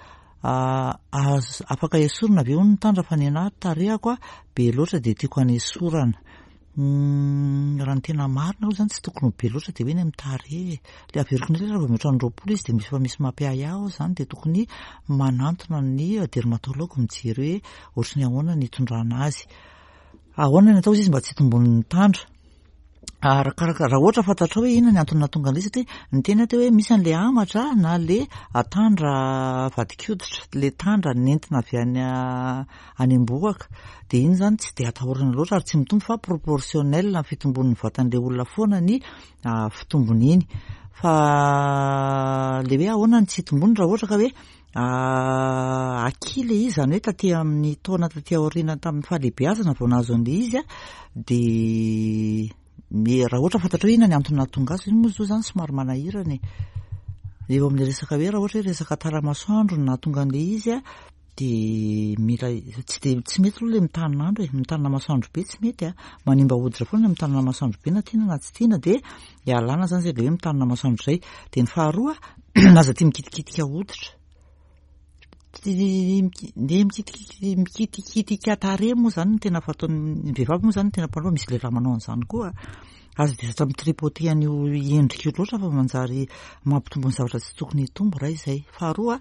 Azo afaka esorina ve hono ny tandra fa ny anah tarehako be loatra dia tiako hanesorana. Raha ny tena marina aloha zany tsy tokony ho be loatra dia hoe ny amin'ny tarehy e. Le averiko indray raha vao mihoatra ny 20 izy dia misy efa misy mampiahiahy aho zany dia tokony manantona ny dermatologue mijery hoe ohatry ny ahoana ny hitondrana azy. Ahoana ny atao izy mba tsy hitombon'ny tandra? Arakaraka, raha ohatra fantatrao hoe inona ny antony nahatonga an'ilay izy satria niteny aho teo hoe misy an'ilay hamatra na le tandra vadin-koditra, le tandra nentina avy any any am-bohoka. Dia iny izany tsy dia atahorana loatra ary tsy mitombo fa proportionnel amin'ny fitombon'ny vatan'ilay olona foana ny fitombony iny. Fa le hoe ahoana ny tsy hitombony raha ohatra ka hoe Aky ilay izy, izany hoe taty amin'ny taona taty aoriana tamin'ny fahalehibeazana vao nahazo an'ilay izy dia raha ohatra fantatrao hoe inona ny antony nahatonga azy, iny moa izao izany somary manahirana e. Eo amin'ilay resaka hoe raha ohatra hoe resaka tara-masoandro no nahatonga an'ilay izy dia mila tsy dia tsy mety aloha ilay mitanin'andro e, mitanina masoandro be tsy mety a, manimba hoditra foana ilay mitanina masoandro be na tiana na tsy tiana dia ialana izany izay ilay hoe mitanina masoandro izay. Dia ny faharoa aza tia mikitikitika hoditra. Ny mikitikitika tarehy moa izany no tena fataon'ny vehivavy moa izany no tena mpanao fa misy lehilahy manao an'izany koa. Aza dia zatra mi-tripoter an'io endrika io loatra fa manjary mampitombo ny zavatra tsy tokony hitombo raha izay. Faharoa,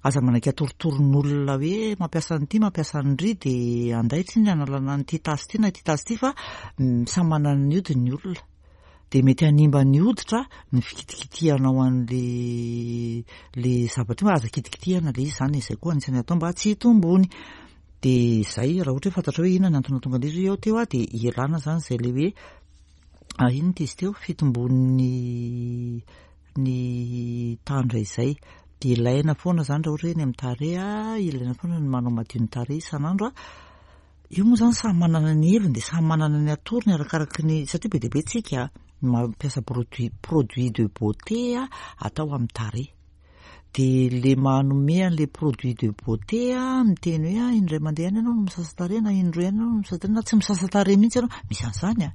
aza manaiky atorotoroan'olona hoe mampiasa an'ity mampiasa an'ry dia andaitra iny hanalana an'ity tasy ity na ity tasy ity fa samy manana ny hodiny ny olona. Dia mety hanimba ny hoditra ny fikitikitihanao an'le le zavatra io, aza kitikitihana le izy izany e, izay koa anisan'ny atao mba tsy hitombony. Dia izay, raha ohatra hoe fantatrao hoe inona ny antony nahatonga an'ilay izy hoe eo teo aho dia ialana izany izay ilay hoe ah, inona ity izy teo, fitombon'ny ny tandra izay. Dia ilaina foana izany raha ohatra hoe eny amin'ny tarehy, ilaina foana ny manao madio ny tarehy isan'andro. Io moa izany samy manana ny heviny dia samy manana ny atorony arakaraky ny, satria be dia be tsika mampiasa produit, produit de beauté atao amin'ny tarehy. Dia le manome an'le produit de beauté miteny hoe ah indray mandeha ihany ianao no misasa tarehy na indroa ihany ianao no misasa tarehy na tsy misasa tarehy mihitsy ianao, misy an'izany an.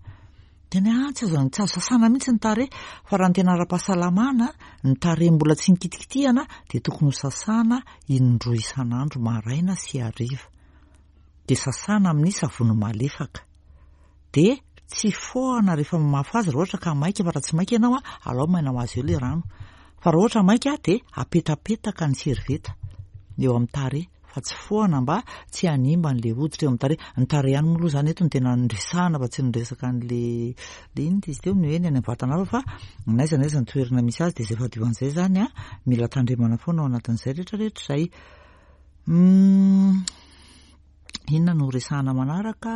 Tena hoe ah tsy azo tsy azo sasana mihitsy ny tarehy fa raha ny tena ara-pahasalamana ny tarehy mbola tsy nikitikitihana dia tokony ho sasana indroa isan'andro maraina sy hariva. dia sasana amin'ny savony malefaka. Dia tsy fohana rehefa mamafa azy raha ohatra ka maika fa raha tsy maika ianao alao maina ho azy eo ilay rano. Fa raha ohatra maika dia apetapetaka ny servieta eo amin'ny tarehy fa tsy fohana mba tsy hanimba an'ilay hoditra eo amin'ny tarehy. Ny tarehy ihany moa aloha izany eto no tena niresahana fa tsy niresaka an'ilay ilay inona izy teo ny hoe ny any amin'ny vatana hafa fa n'aiza n'aiza ny toerana misy azy dia izay fahadiovan'izay izany mila tandremana foana ao anatin'izay rehetrarehetra izay. Humm inona no resahana manaraka?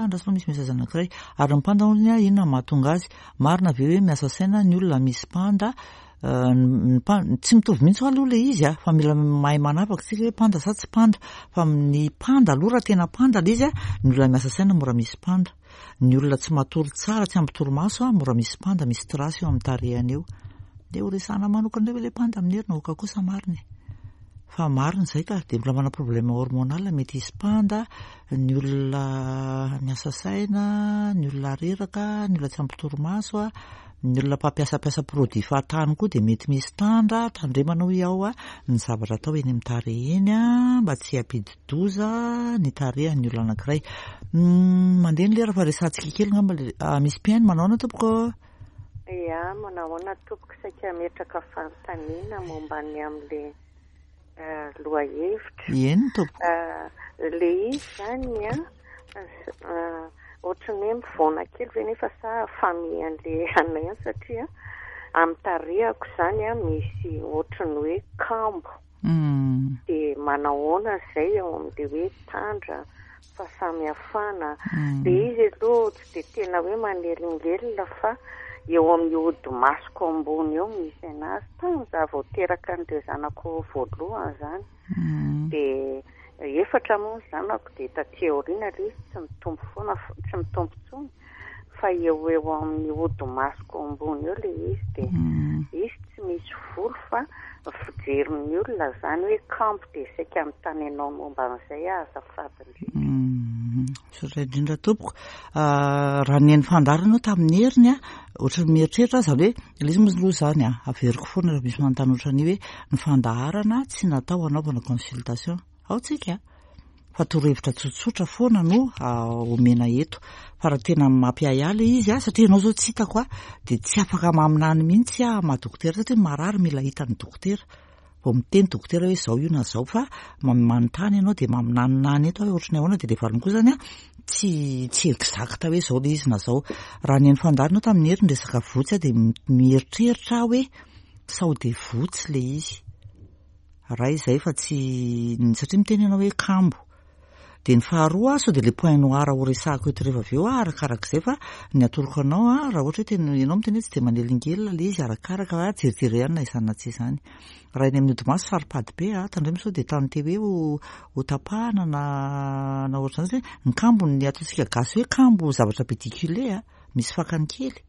Andraso fa misy message anankiray. Ary ny panda hono inona no mahatonga azy? Marina ve hoe miasa saina ny olona misy panda? Ny panda, tsy mitovy mihitsy aloha ilay izy a, fa mila mahay manavaka isika hoe panda sa tsy panda. Fa ny panda aloha raha tena panda ilay izy a, ny olona miasa saina mora misy panda. Ny olona tsy matory tsara, tsy ampy torimaso, mora misy panda, misy trace eo amin'ny tarehiny eo. Dia ho resahana manokana indray ve ilay panda amin'ny heriny? Aoka kosa marina e. Fa marina izay ka, dia mbola manana problème hormonal mety hisy panda, ny olona miasa saina, ny olona reraka, ny olona tsy ampy torimaso, ny olona mpampiasampiasa produit fahatany koa dia mety misy tandra, tandremana hoy aho ny zavatra atao eny amin'ny tarehy eny mba tsy hampidi-doza ny tarehin'ny olona anankiray. Mandeha ny lera fa resahantsika kely angamba le, misy mpihaino, manao ahoana tompoko? Ia, manao ahoana tompoko, saika hametraka fanontaniana momba ny amin'ilay lohahevitra. Eny tompoko. Ilay izy izany an, ohatran'ny hoe mivaona kely ve nefa sa famille an'ilay anay ihany satria amin'ny tarehako izany an misy ohatran'ny hoe kambo. Dia manahoana izay ao amin'ilay hoe tandra fahasamihafana. Ilay izy aloha tsy dia tena hoe manelingelina fa eo amin'ny hodi-masoko ambony eo misy an'azy. Tamin'izaho vao teraka an'ireo zanako voalohany izany. Dia efatra moa ny zanako dia taty aoriana ilay izy tsy mitombo foana, tsy mitombo intsony. Fa eo ho eo amin'ny hodi-masoko ambony eo ilay izy dia izy tsy misy volo fa ny fijerin'ny olona izany hoe kambo dia saika anontany anao momba an'izay aho azafady indrindra. Misaotra indrindra tompoko. Raha ny haino fandaharana aloha tamin'ny heriny a, ohatran'ny mieritreritra aho izany hoe ilay izy moa aloha izany a, averiko foana raha misy manontany ohatran'io hoe ny fandaharana tsy natao hanaovana consultation. Ao tsika fa torohevitra tsotsotra foana no omena eto. Fa raha tena mampiahiahy ilay izy a, satria ianao izao tsy hitako a, dia tsy afaka maminany mihitsy aho maha dokotera satria marary mila hitan'ny dokotera. Vao miteny dokotera hoe izao io na izao fa manontany ianao dia maminaninany eto aho hoe ohatran'ny ahoana dia ilay valiny koa izany a, tsy tsy exact hoe izao ilay izy na izao. Raha ny haino fandaharana aho tamin'ny hery ny resaka votsy aho dia mieritreritra aho hoe sao dia votsy ilay izy. Ray izay fa tsy satria miteny ianao hoe kambo. Dia ny faharoa sao dia ilay point noir ho resahako eto rehefa avy eo arakarak'izay fa ny atoroko anao raha ohatra hoe tena ianao miteny hoe tsy dia manelingelina ilay izy arakaraka fa jerijereo ihany na izany na tsy izany. Raha eny amin'ny hodi-maso saro-pady be tandremo sao dia tany te hoe ho ho tapahana na na ohatr'izany satria ny kambo ny ataontsika gasy hoe kambo zavatra pédiculé misy fakany kely.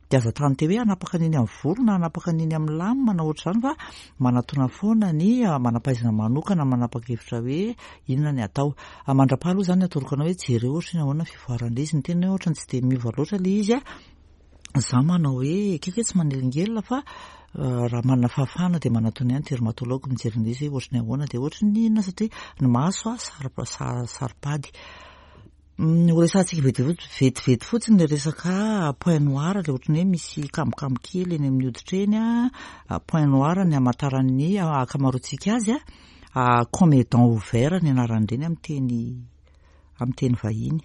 Dia aza tante hoe hanapaka an'iny amin'ny volo na hanapaka an'iny amin'ny lame na ohatr'izany fa manatona foana ny manam-pahaizana manokana manapa-kevitra hoe inona ny atao. Mandra-paha aloha izany atoroko anao hoe jereo ohatry ny ahoana ny fivoaran'ilay izy. Ny tena hoe ohatran'ny tsy dia miova loatra ilay izy. Za manao hoe ekeko hoe tsy manelingelina fa raha manana fahafahana dia manatona ihany dermatologue mijery an'ilay izy hoe ohatry ny ahoana dia ohatry ny inona satria ny maso saro-pady. Ho resahantsika vetivety fotsiny ilay resaka point noir ilay ohatry ny hoe misy kamokamo kely eny amin'ny hoditra eny an, point noir ny hamantaran'ny ankamaroantsika azy an, comédon ouvert ny anaran'ireny amin'ny teny amin'ny teny vahiny.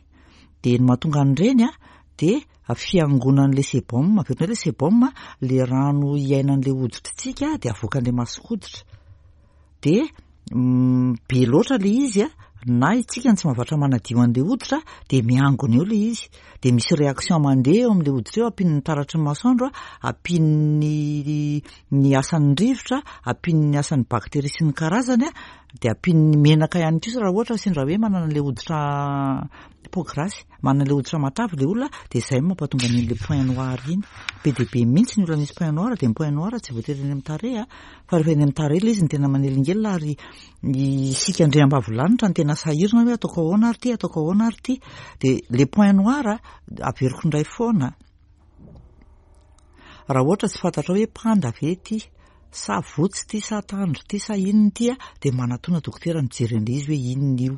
Dia ny mahatonga an'ireny an, dia fiangonan'ilay sebum, averina hoe ilay sebum, ilay rano iainan'ilay hoditritsika dia avoakan'ilay mason-koditra. Dia be loatra ilay izy an, na isika no tsy mahavatra manadio an'ilay hoditra dia miangona eo ilay izy. Dia misy réaction mandeha eo amin'ilay hoditra eo, ampian'ny taratry ny masoandro, ampian'ny ny asan'ny rivotra, ampian'ny asan'ny bakteria sy ny karazany an, Dia ampian'ny menaka ihany kosa raha ohatra sendra hoe manana ilay hoditra peau grasse, manana ilay hoditra matavy ilay olona dia izay no mampatonga an'iny ilay point noir iny. Be dia be mihitsy ny olona misy point noir dia ny point noir tsy voatery eny amin'ny tarehy a, fa rehefa eny amin'ny tarehy ilay izy no tena manelingelina ary isika andriambavilanitra no tena sahirana hoe ataoko ahoana ary ity, ataoko ahoana ary ity. Dia ilay point noir averiko indray foana. Raha ohatra tsy fantatrao hoe panda ve ity sa votsy ity sa tandro ity sa inona ity a, dia manatona dokotera mijery an'ilay izy hoe inona io.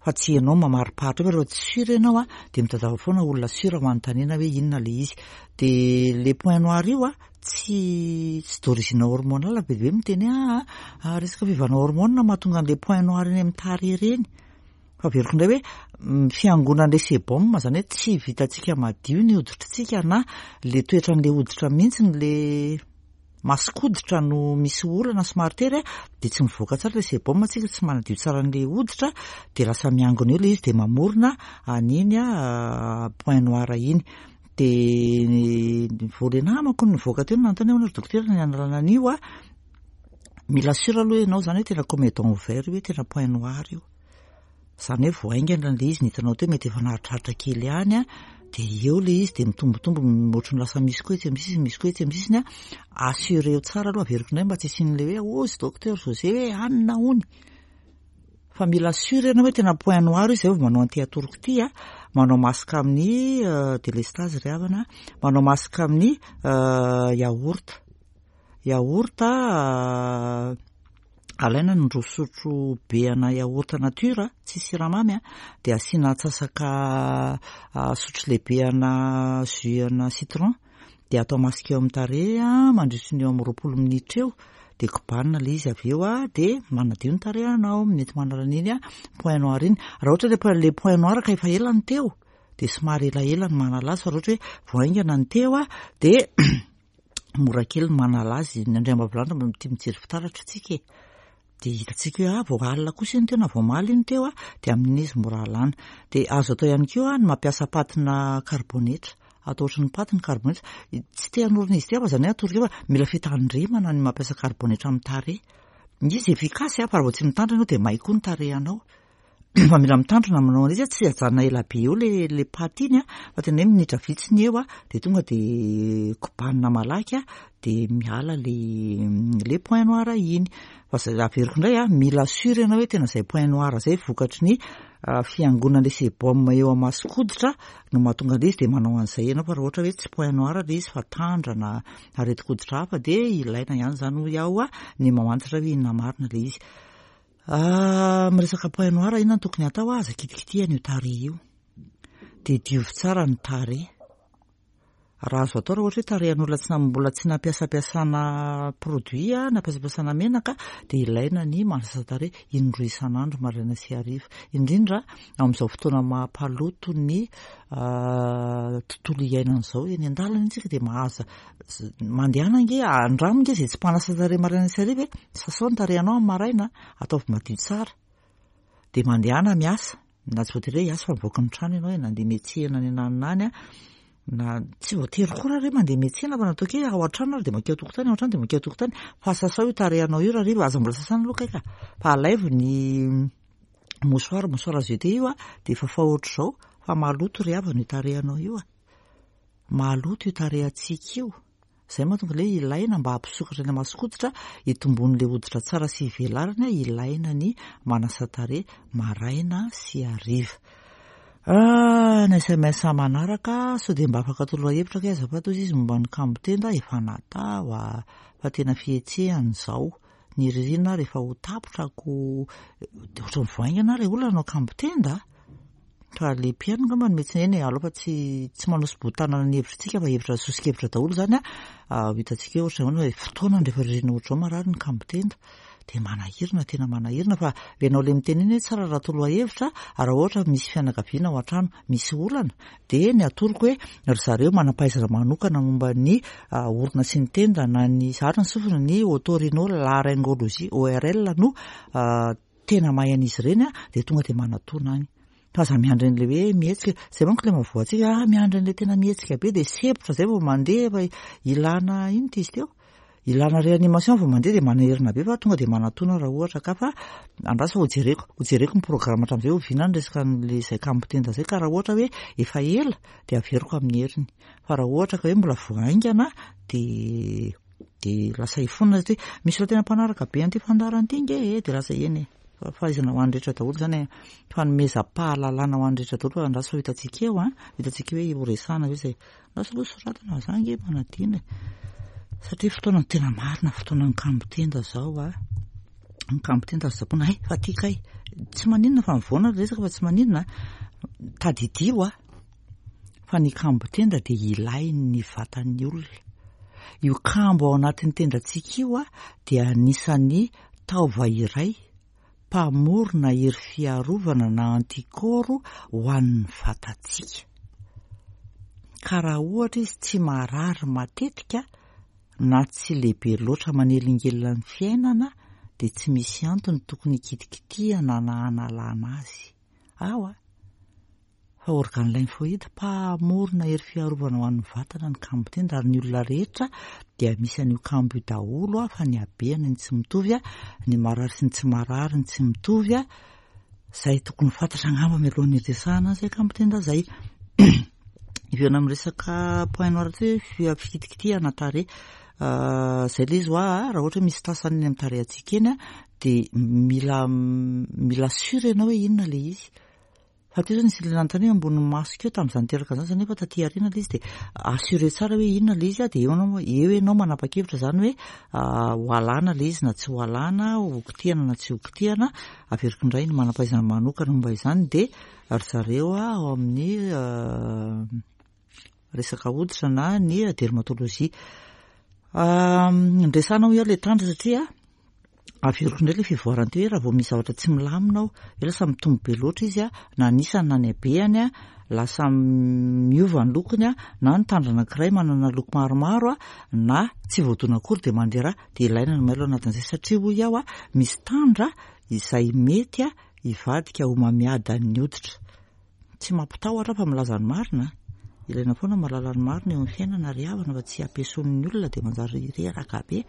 Fa tsy ianao mamariparitra eo fa rehefa tsy sûr ianao a, dia mitadiava foana olona sûr ho anontaniana hoe inona ilay izy. Dia ilay point noir io a, tsy tsy d'origine hormonale, be dia be miteny hoe aa resaka fiovana hormone no mahatonga an'ilay point noir eny amin'ny tarehy ireny. Fa averiko indray hoe ny fiangonan'ilay sebum, izany hoe tsy vitantsika madio ny hoditritsika na ilay toetran'ilay hoditra mihitsy ilay mason-koditra no misy olana somary tery dia tsy mivoaka tsara ilay sebum, tsika tsy manadio tsara an'ilay hoditra dia lasa miangona eo ilay izy dia mamorona an'iny point noir iny. Dia vao ilay namako no nivoaka teo no nanontany hoe ahoana ry dokotera ny hanalana an'io a, mila sûr aloha ianao izany hoe tena comédon ouvert io hoe tena point noir io. Izany hoe vao haingana ilay izy ny hitanao teo mety efa naharitraritra kely ihany an, dia eo ilay izy dia mitombotombo ohatran'ny lasa misy koa etsy amin'ny sisiny, misy koa etsy amin'ny sisiny an, assureo tsara aloha averiko indray mba tsy hisian'ilay hoe hozy docteur José hoe anona hony. Fa mila sûr ianao hoe tena point noir io izay vao manao an'ity atoroko ity an, manao masque amin'ny délestage ry havana, manao masque amin'ny yaourt. Yaourt alaina ny roa sotro be ana yaourt nature tsisy siramamy dia asiana atsasaka sotro lehibe ana jus ana citron dia atao masque eo amin'ny tarehy mandritry ny eo amin'ny 20 minitra eo dia kobanina ilay izy avy eo dia manadio ny tarehinao, mety manala an'iny point noir iny. Raha ohatra ilay point, ilay point noir ka efa ela ny teo dia somary elaela ny manala azy fa raha ohatra hoe vao haingana ny teo dia mora kely ny manala azy, ny andriambavilanitra mba tia mijery fitaratra tsika e, dia hitantsika hoe ah vao alina kosa iny teo na vao omaly iny teo ah, dia amin'iny izy mora alana. Dia azo atao ihany koa ny mampiasa patina karibonetra, atao ohatry ny paty ny karibonetra, tsy te hanorina izy ity aho fa izany hoe atoroko eo fa mila fitandremana ny mampiasa karibonetra amin'ny tarehy. Izy efficace fa raha vao tsy mitandrina ianao dia may koa ny tarehinao. Fa mila mitandrina manao an'izy tsy ajanona ela be eo le le paty iny a, fa tena hoe minitra vitsy ny eo a, de tonga de kobanina malaky a, de miala le le point noir iny. Fa zay averiko indray a, mila sûr ianao hoe tena zay point noir zay vokatry ny fiangonan'le sebum eo amin'ny mason-koditra no mahatonga an'ilay izy de manao an'izay ianao, fa raha ohatra hoe tsy point noir le izy fa tandra na aretin-koditra hafa de ilaina ihany zany hoy aho a ny mamantatra hoe inona marina le izy. Ah, miresaka point noir inona no tokony hatao? Aza kitikitihana io tarehy io. Dia diovy tsara ny tarehy. Raha azo atao raha ohatra hoe tarehin'olona tsy mbola tsy nampiasampiasana produit, nampiasampiasana menaka, dia ilaina ny manasa tarehy indroa isan'andro maraina sy hariva. Indrindra amin'izao fotoana mampaloto ny tontolo iainana izao, eny an-dalana isika dia mahazo Mandehana ange, andramo ange izay tsy mpanasa tarehy maraina sy hariva e. Sasao ny tarehinao amin'ny maraina, ataovy madio tsara. Dia mandehana miasa, na tsy voatery hoe hiasa fa mivoaka ny trano ianao e, na handeha miantsena any ananona any, na tsy voatery koa raha hoe mandeha miantsena fa na ataoko hoe ao an-trano ary dia mankeo an-tokotany, ao an-trano dia mankeo an-tokotany. Fa sasao io tarehinao io rahariva, aza mbola sasana aloha kay ka. Fa alaivo ny mouchoir, mouchoir à jeter io dia fafao ohatr'izao fa maloto ry havana io tarehinao io a. Maloto io tarehantsika io. Izay mahatonga ilay hoe ilaina mba hampisokatra ny mason-koditra, hitomboan'ilay hoditra tsara sy hivelarany, ilaina ny manasa tarehy maraina sy hariva. Ah, ny sms manaraka, sao dia mba afaka atoro hevitra kay azafady hozy izy momba ny kambo tenda, efa natao ah, fa tena fihetsehany izao. Ny ririnina ary efa ho tapitra ko, dia ohatran'ny vao haingana ary olona hanao kambo tenda. Fa le mpihaino angamba no mety eny e, aleo fa tsy tsy manosi-bohon-tanana ny hevitritsika fa hevitra soso-kevitra daholo izany ah. Ho hitantsika eo ohatran'ny ahoana hoe fotoana rehefa ririnina ohatr'izao marary ny kambo tenda. Dia manahirana, tena manahirana fa ianao ilay miteny iny hoe tsara raha torohevitra, raha ohatra misy fianakaviana ao an-trano misy olana dia ny atoroko hoe ry zareo manam-pahaizana manokana momba ny orona sy ny tenda na ny ary ny sofina ny otorhinolaryngologie, ORL, no tena mahay an'izy ireny dia tonga dia manatona any. Fa aza miandry an'ilay hoe mihetsika, izay manko ilay mahavoa antsika, ah miandry an'ilay tena mihetsika be dia sempotra izay vao mandeha fa ilana inona ity izy teo? Ilana réanimation vao mandeha dia manaherina be fa tonga dia manatona raha ohatra ka fa andraso ho jereko, ho jereko ny programme hatramin'izay oviana ny resaka an'ilay izay kambo tenda izay ka raha ohatra hoe efa ela dia averiko amin'ny heriny fa raha ohatra ka hoe mbola vao haingana dia dia lasa hifonina satria misy olona tena mpanaraka be an'ity fandaharana ity nge e dia lasa eny e fahaizana ho an'ny rehetra daholo izany e fanomezam-pahalalana ho an'ny rehetra daholo fa andraso ho hitantsika eo an hitantsika eo hoe horesahana ve izay Lasa aloha soratana fa za ange manadino e. Satria fotoana ny tena marina, fotoana ny kambo tenda zao a. Ny kambo tenda azo tsaboina, hay fa ty kay. Tsy maninona fa mivoana ny resaka fa tsy maninona. Tadidio a. Fa ny kambo tenda dia ilain'ny vatan'ny olona. Io kambo ao anatin'ny tendantsika io a dia anisan'ny taova iray mpamorona hery fiarovana na anticorps ho an'ny vatantsika. Ka raha ohatra izy tsy marary matetika na tsy lehibe loatra manelingelina ny fiainana dia tsy misy antony tokony hikitikitihana na hanalana azy. Ao a! Fa organe lymphoïde mpamorona hery fiarovana ho an'ny vatana ny kambo tenda ary ny olona rehetra dia misy an'io kambo io daholo fa ny habehany ny tsy mitovy, ny marary sy ny tsy marary ny tsy mitovy, izay tokony ho fantatra angamba mialohan'ny hiresahana an'izay kambo tenda izay. Hiverina amin'ny resaka point noir ty hoe fikitikitihana tarehy. Izay ilay izy hoa, raha ohatra hoe misy tasany eny amin'ny tarehintsika eny dia mila mila sûr ianao hoe inona ilay izy. Fa teo zany nisy ilay nanontany hoe ambony maso keo tamin'izany teraka izany nefa taty aoriana ilay izy dia assuré tsara hoe inona ilay izy dia eo ianao eo ianao manapa-kevitra izany hoe ho alana ilay izy na tsy ho alana, ho kitihana na tsy ho kitihana. Averiko indray ny manam-pahaizana manokana momba izany dia ry zareo ao amin'ny resaka hoditra na ny dermatologie. Ndresana hoy aho ilay tandra satria Averiko indray ilay fivoarany teo hoe raha vao misy zavatra tsy milamina ao, hoe lasa mitombo be loatra izy na ny isany na ny habehany, lasa miova ny lokony na ny tandra anankiray manana loko maromaro na tsy voadona akory dia mandeha rà dia ilaina ny mailo anatin'izay satria hoy aho misy tandra izay mety hivadika ho mamiadan'ny hoditra. Tsy mampitahotra aho fa milaza ny marina. Ilaina foana mahalala ny marina eo amin'ny fiainana ry havana fa tsy ampiasonin'ny olona dia manjary reraka be.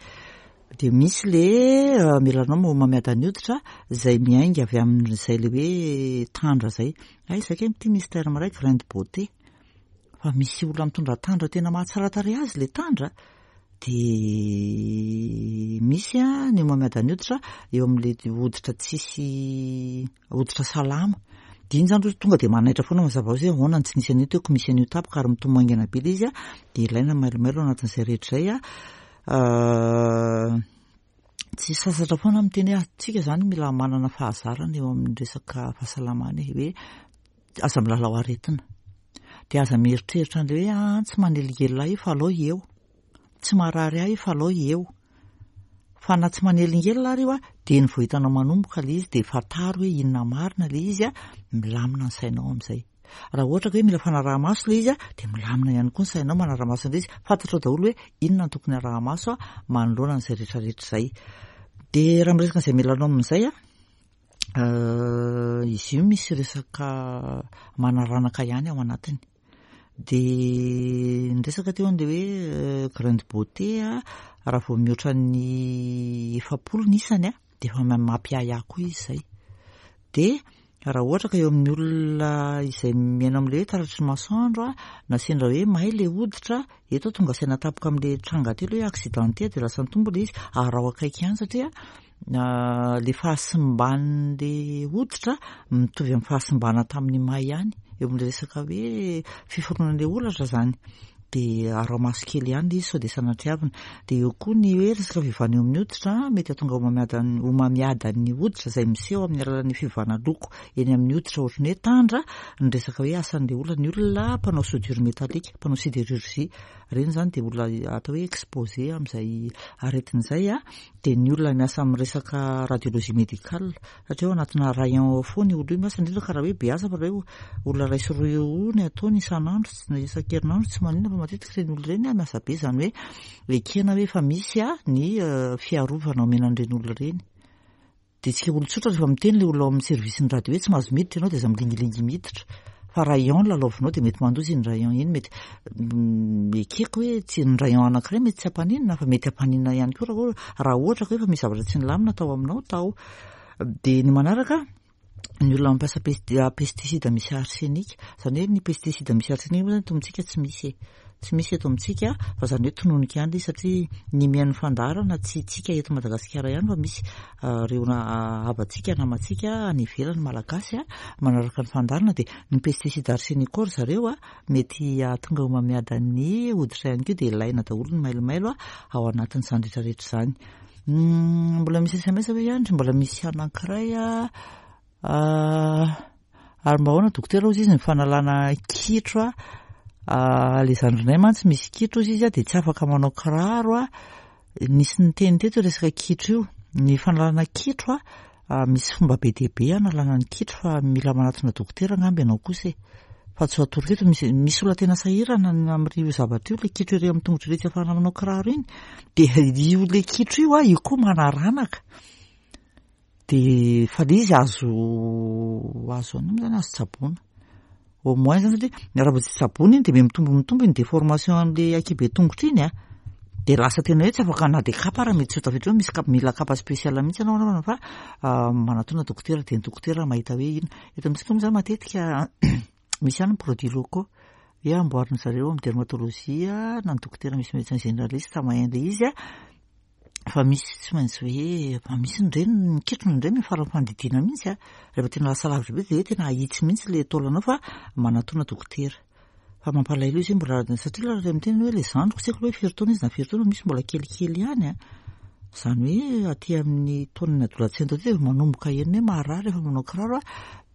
Dia misy le melanome homamiadan'ny hoditra izay miainga avy amin'izay le hoe tandra izay. Hay izay kay ity misy terme iray grain de beauté. Fa misy olona mitondra tandra tena mahatsara tarehy azy le tandra. Dia misy ny homamiadan'ny hoditra eo amin'le hoditra tsisy hoditra salama. Dia iny izany tonga dia manaitra foana mazava ho azy hoe ahoana no tsy nisy an'io teo ko misy an'io tampoka ary mitombo haingana be ilay izy dia ilaina mailomailo ao anatin'izay rehetra izay. Tsy sasatra foana miteny hoe antsika izany mila manana fahazarana eo amin'ny resaka fahasalamana e, hoe aza milalao aretina. Dia aza mieritreritra an'ilay hoe ah, tsy manelingelina ahy fa alao eo. Tsy marary ahy fa alao eo. Fa na tsy manelingelina ary io a, dia ny vao hitanao manomboka ilay izy dia fantaro hoe inona marina ilay izy a, milamina ny sainao amin'izay. Raha ohatra ka hoe mila fanaraha-maso ilay izy a, dia milamina ihany koa ny sainao manara-maso an'ilay izy, fantatrao daholo hoe inona no tokony araha-maso a, manoloana an'izay rehetrarehetra izay. Dia raha miresaka an'izay melanome izay a, izy io misy resaka manaranaka ihany ao anatiny. Dia niresaka teo an'ilay hoe grain de beauté a, raha vao mihoatra ny 40 ny isany a, dia efa mampiahiahy koa izy izay. Dia raha ohatra ka eo amin'ny olona izay miaina amin'ilay hoe taratry ny masoandro a, na sendra hoe may ilay hoditra, eto aho tonga saina tampoka amin'ilay tranga teo ilay hoe accidenté dia lasa nitombo ilay izy, araho akaiky ihany satria. Le fahasimban'le hoditra mitovy amin'ny fahasimbana tamin'ny may ihany eo amin'le resaka hoe fiforonan'le holatra zany. De araho maso kely ihany le izy sao de sanatriavina. De eo koa ny hoe resaka fiovana eo amin'ny hoditra, mety hahatonga homamiadan'ny hoditra izay miseho amin'ny alalan'ny fiovana loko eny amin'ny hoditra ohatran'ny hoe tandra, ny resaka hoe asan'le olona, ny olona mpanao soudure métallique, mpanao sidérurgie, ireny izany dia olona atao hoe exposé amin'izay aretina izay. Dia ny olona miasa amin'ny resaka radiologie médicale, satria ao anatina rayon ao foana io olona io miasa, indrindra ka raha hoe be asa fa raha hoe olona iray sy roa eo ny ataony isan'andro, isan-kerinandro tsy maninona, fa matetika ireny olona ireny miasa be, izany hoe ekena hoe efa misy ny fiarovana omena an'ireny olona ireny. Dia tsika olon-tsotra rehefa miteny ilay olona ao amin'ny service-n'ny radio hoe tsy mahazo miditra ianao dia aza milingilingy miditra. Fa rayon lalaovinao dia mety mandoza iny rayon iny, mety ekeko hoe tsy ny rayon anankiray mety tsy hampaninona fa mety hampaninona ihany koa raha ohatra ka hoe efa misy zavatra tsy nilamina tao aminao tao. Dia ny manaraka, ny olona mampiasa pesticide misy arsenic, izany hoe ny pesticide misy arsenic moa izany eto amintsika tsy misy e. Tsy misy eto amintsika fa izany hoe tononiko ihany ilay izy satria ny mihaino fandaharana tsy tsika eto Madagasikara ihany fa misy ireo havantsika, namantsika any ivelany malagasy manaraka ny fandaharana dia ny pesticide arsenicaux ry zareo mety hahatonga homamiadan'ny hoditra ihany koa dia ilaina daholo ny mailomailo ao anatin'izany rehetra rehetra izany. Mbola misy SMS ve ihany? Mbola misy anankiray. Ary mba ahoana dokotera hozy izy ny fanalana kitro a, le zandrinay mantsy misy kitro hozy izy a, dia tsy afaka manao kiraro a, nisy niteny teto io resaka kitro io, ny fanalana kitro a, misy fomba be dia be analana ny kitro fa mila manatona dokotera angamba ianao kosa e, fa tsy ho atoroko eto, misy misy olona tena sahirana amin'io zavatra io, le kitro ery amin'ny tongotra ery tsy ahafahana manao kiraro iny, dia io le kitro io a, io koa manaranaka. Dia fa le izy azo azo anona moa zany azo tsaboina. Au moins zany satria raha vao tsy tsaboina iny dia miha mitombo mitombo iny déformation an'le ankihibe tongotra iny a. Dia lasa tena hoe tsy afaka na dia kapa ary mety tsy ho tafiditra eo, misy kapa mila kapa spécial mihitsy ianao anaovana fa manatona dokotera dia ny dokotera mahita hoe inona. Eto amintsika moa zany matetika misy ihany ny produits locaux hoe amboarin-dry zareo amin'ny dermatologie na ny dokotera misy médecin généraliste mahay an'ilay izy a. Fa misy tsy maintsy hoe fa misy indray ny ketrona indray miafara amin'ny fandidiana mihitsy a. Rehefa tena lasa lavitra be dia hoe tena ahitsy mihitsy ilay taolanao fa manatona dokotera. Fa mampalahelo izy hoe mbola satria raha miteny hoe ilay zandriko tsy haiko hoe firy taona izy na firy taona misy mbola kelikely ihany a. Izany hoe aty amin'ny taonan'ny adolescente aty dia efa manomboka heno hoe marary rehefa manao kiraro a.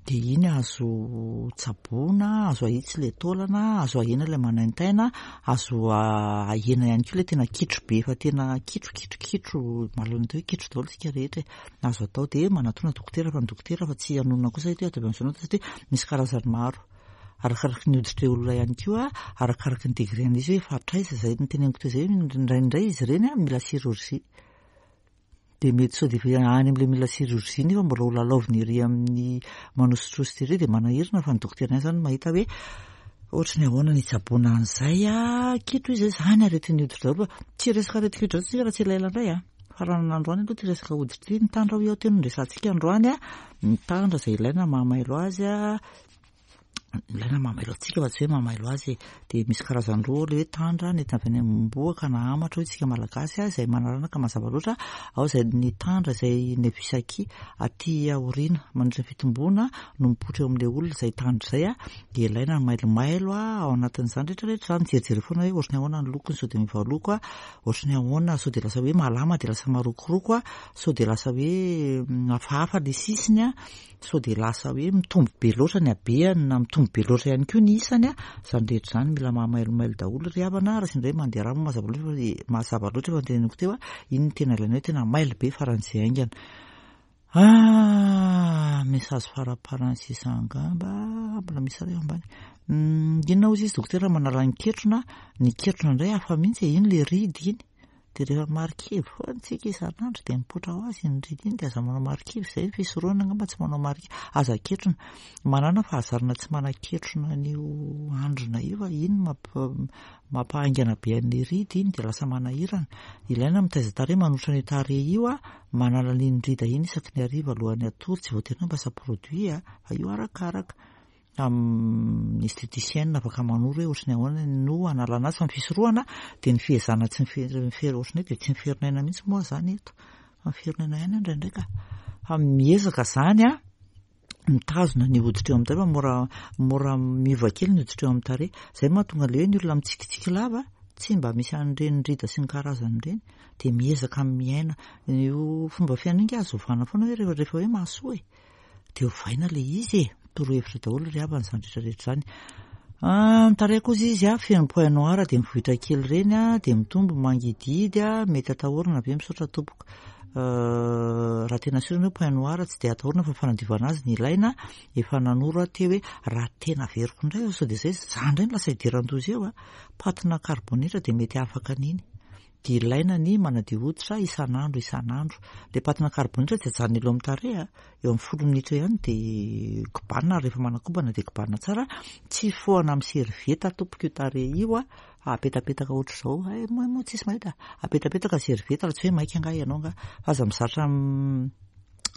Dia iny azo tsaboina, azo ahitsy ilay taolana, azo ahena ilay manaintaina, azo ahena ihany koa ilay tena kitro be efa tena kitro kitro kitro, mahalala ny atao hoe kitro daholo isika rehetra e. Azo atao dia manatona dokotera fa ny dokotera fa tsy hanonona kosa eto hoe ataovy amin'izao na satria misy karazany maro. Arakaraky ny hoditr'ilay olona ihany koa, arakaraky ny degré an'izy hoe efa hatraiza, izay noteneniko teo izay, indraindray izy ireny mila chirurgie. Dia mety sao dia efa any amin'ilay mila chirurgie nefa mbola ho lalaovina ery amin'ny manositrositra ery dia manahirana fa ny dokotera ihany izany no mahita hoe ohatry ny ahoana ny hitsaboana an'izay a, kitro izy izany aretin'ny hoditra daholo fa tsy resaka aretin'ny hoditra tsika raha tsy elaela indray a, fa raha ny androany aloha ity resaka hoditra ity, ny tandra hoy aho teo no resahantsika androany a, ny tandra izay ilaina mahamailo azy a, Ilaina mahamailo antsika fa tsy hoe mahamailo azy e. Dia misy karazany roa ilay hoe tandra nentina avy any am-bohoka na hamatra hoy isika Malagasy izay manaranaka mazava loatra. Ao izay ny tandra izay nevisaki aty aoriana mandritra ny fitomboana no mipoitra eo amin'ilay olona izay tandra izay. Dia ilaina ny mailomailo ao anatin'izany rehetra rehetra izany. Mijerijery foana hoe ohatry ny ahoana ny lokony, sao dia miova loko, ohatry ny ahoana, sao dia lasa hoe malama dia lasa marokoroko, sao dia lasa hoe hafahafa ilay sisiny. Sao dia lasa hoe mitombo be loatra ny habehany na mitombo be loatra ihany koa ny isany a, izany rehetra izany mila mahamailomailo daholo ry havana, raha sendra hoe mandeha rà moa mazava loatra fa mazava loatra efa noteneniko teo a, iny no tena ilaina hoe tena mailo be faran'izay haingana. Ah, message faraparany sisa angamba, mbola misy iray ao ambany. Inona hozy izy dokotera manala ny ketrona, ny ketrona indray hafa mihitsy e, iny le ridy iny. Dia rehefa marikivy foana tsika isan'andro dia mipoitra ho azy iny ridy iny dia aza manao marikivy, izay ny fisorohana angamba tsy manao marikivy, aza ketrona. Manana fahazarana tsy manaketrona an'io andrina io fa iny mampahaingana be an'ilay ridy iny dia lasa manahirana. Ilaina mitaiza tarehy manotra an'io tarehy io, manala an'iny rida iny isaky ny hariva alohan'ny hatory, tsy voatery hoe mampiasa produit fa io arakaraka. Amin'ny esthéticienne afaka manoro hoe ohatry ny ahoana no hanalana azy fa ny fisorohana dia ny fihezahana tsy mifery ohatry ny hoe dia tsy miferinaina mihitsy moa izany eto. Fa miferinaina ihany aho indraindray ka. Fa miezaka izany an, mitazona ny hoditra eo amin'ny tarehy fa mora mora miova kely ny hoditra eo amin'ny tarehy. Izay no mahatonga ilay hoe ny olona mitsikitsiky lava tsy mba misy an'ireny rida sy ny karazany ireny. Dia miezaka miaina io fomba fiainana io ange azo ovana foana hoe rehefa rehefa hoe mahasoa e. Dia ovaina ilay izy e. Torohevitra daholo ry havana izany rehetra rehetra izany. Ah, ny tarehy kosa izy a, feno point noir dia mivohitra kely ireny a, dia mitombo mangidihidy a, mety atahorana ve misaotra tompoko. Euh, raha tena sûr ny hoe point noir tsy dia atahorana fa fanadiovana azy ny ilaina, efa nanoro aho teo hoe raha tena averiko indray sao dia izay za indray no lasa idiran-doza eo a, patina karbonitra dia mety afaka an'iny. Dia ilaina ny manadio hoditra isan'andro isan'andro. Ilay patina karbonitra tsy ajanona elo amin'ny tarehy a, eo amin'ny folo minitra eo ihany dia kobanina ary rehefa manakobana dia kobanina tsara. Tsy fohana amin'ny servieta tompoko io tarehy io a, apetapetaka ohatr'izao, hay moa moa tsisy mahita, apetapetaka servieta raha tsy hoe maika angaha ianao angaha, fa aza mizatra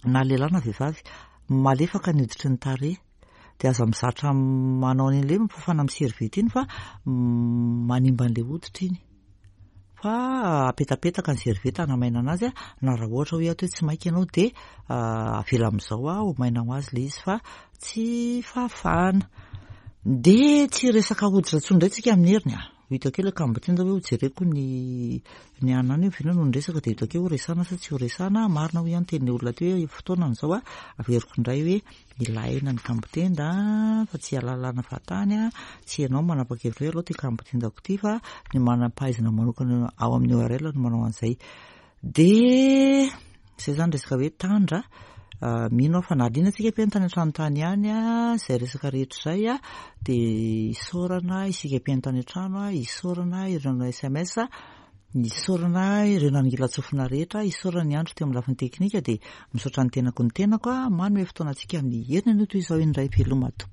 na lehilahy na vehivavy, malefaka ny hoditry ny tarehy. Dia aza mizatra manao an'ilay hoe fafana amin'ny serviette iny fa manimba an'ilay hoditra iny. Fa apetapetaka ny serviette hanamaina anazy na raha ohatra hoe ato hoe tsy maika ianao dia avela amin'izao ho maina ho azy ilay izy fa tsy fafana. Dia tsy resaka hoditra intsony indray tsika amin'ny heriny a. Ho hitako eo ilay kambotinda hoe hojereko ny ny anona any hoe oviana no niresaka dia hitako eo horesahana sa tsy horesahana. Marina hoy aho ny tenin'ilay olona teo hoe fotoanany izao a, averiko indray hoe ilaina ny kambotenda fa tsy alalana fahatany a, tsy ianao manapa-kevitra hoe aleo ity kambotendako ity fa ny manam-pahaizana manokana ao amin'ny ORL no manao an'izay. Dia izay izany resaka hoe tandra, mino aho fa nahaliana antsika mpihaino tany an-trano tany ihany izay resaka rehetra izay dia isaorana isika mpihaino tany an-trano, isaorana ireo nanao sms, isaorana ireo nanongilan-tsofina rehetra, isaorana ny andro teo amin'ny lafiny teknika dia misaotra ny tenako ny tenako manome fotoana antsika amin'ny heriny anio toy izao indray veloma tompoko.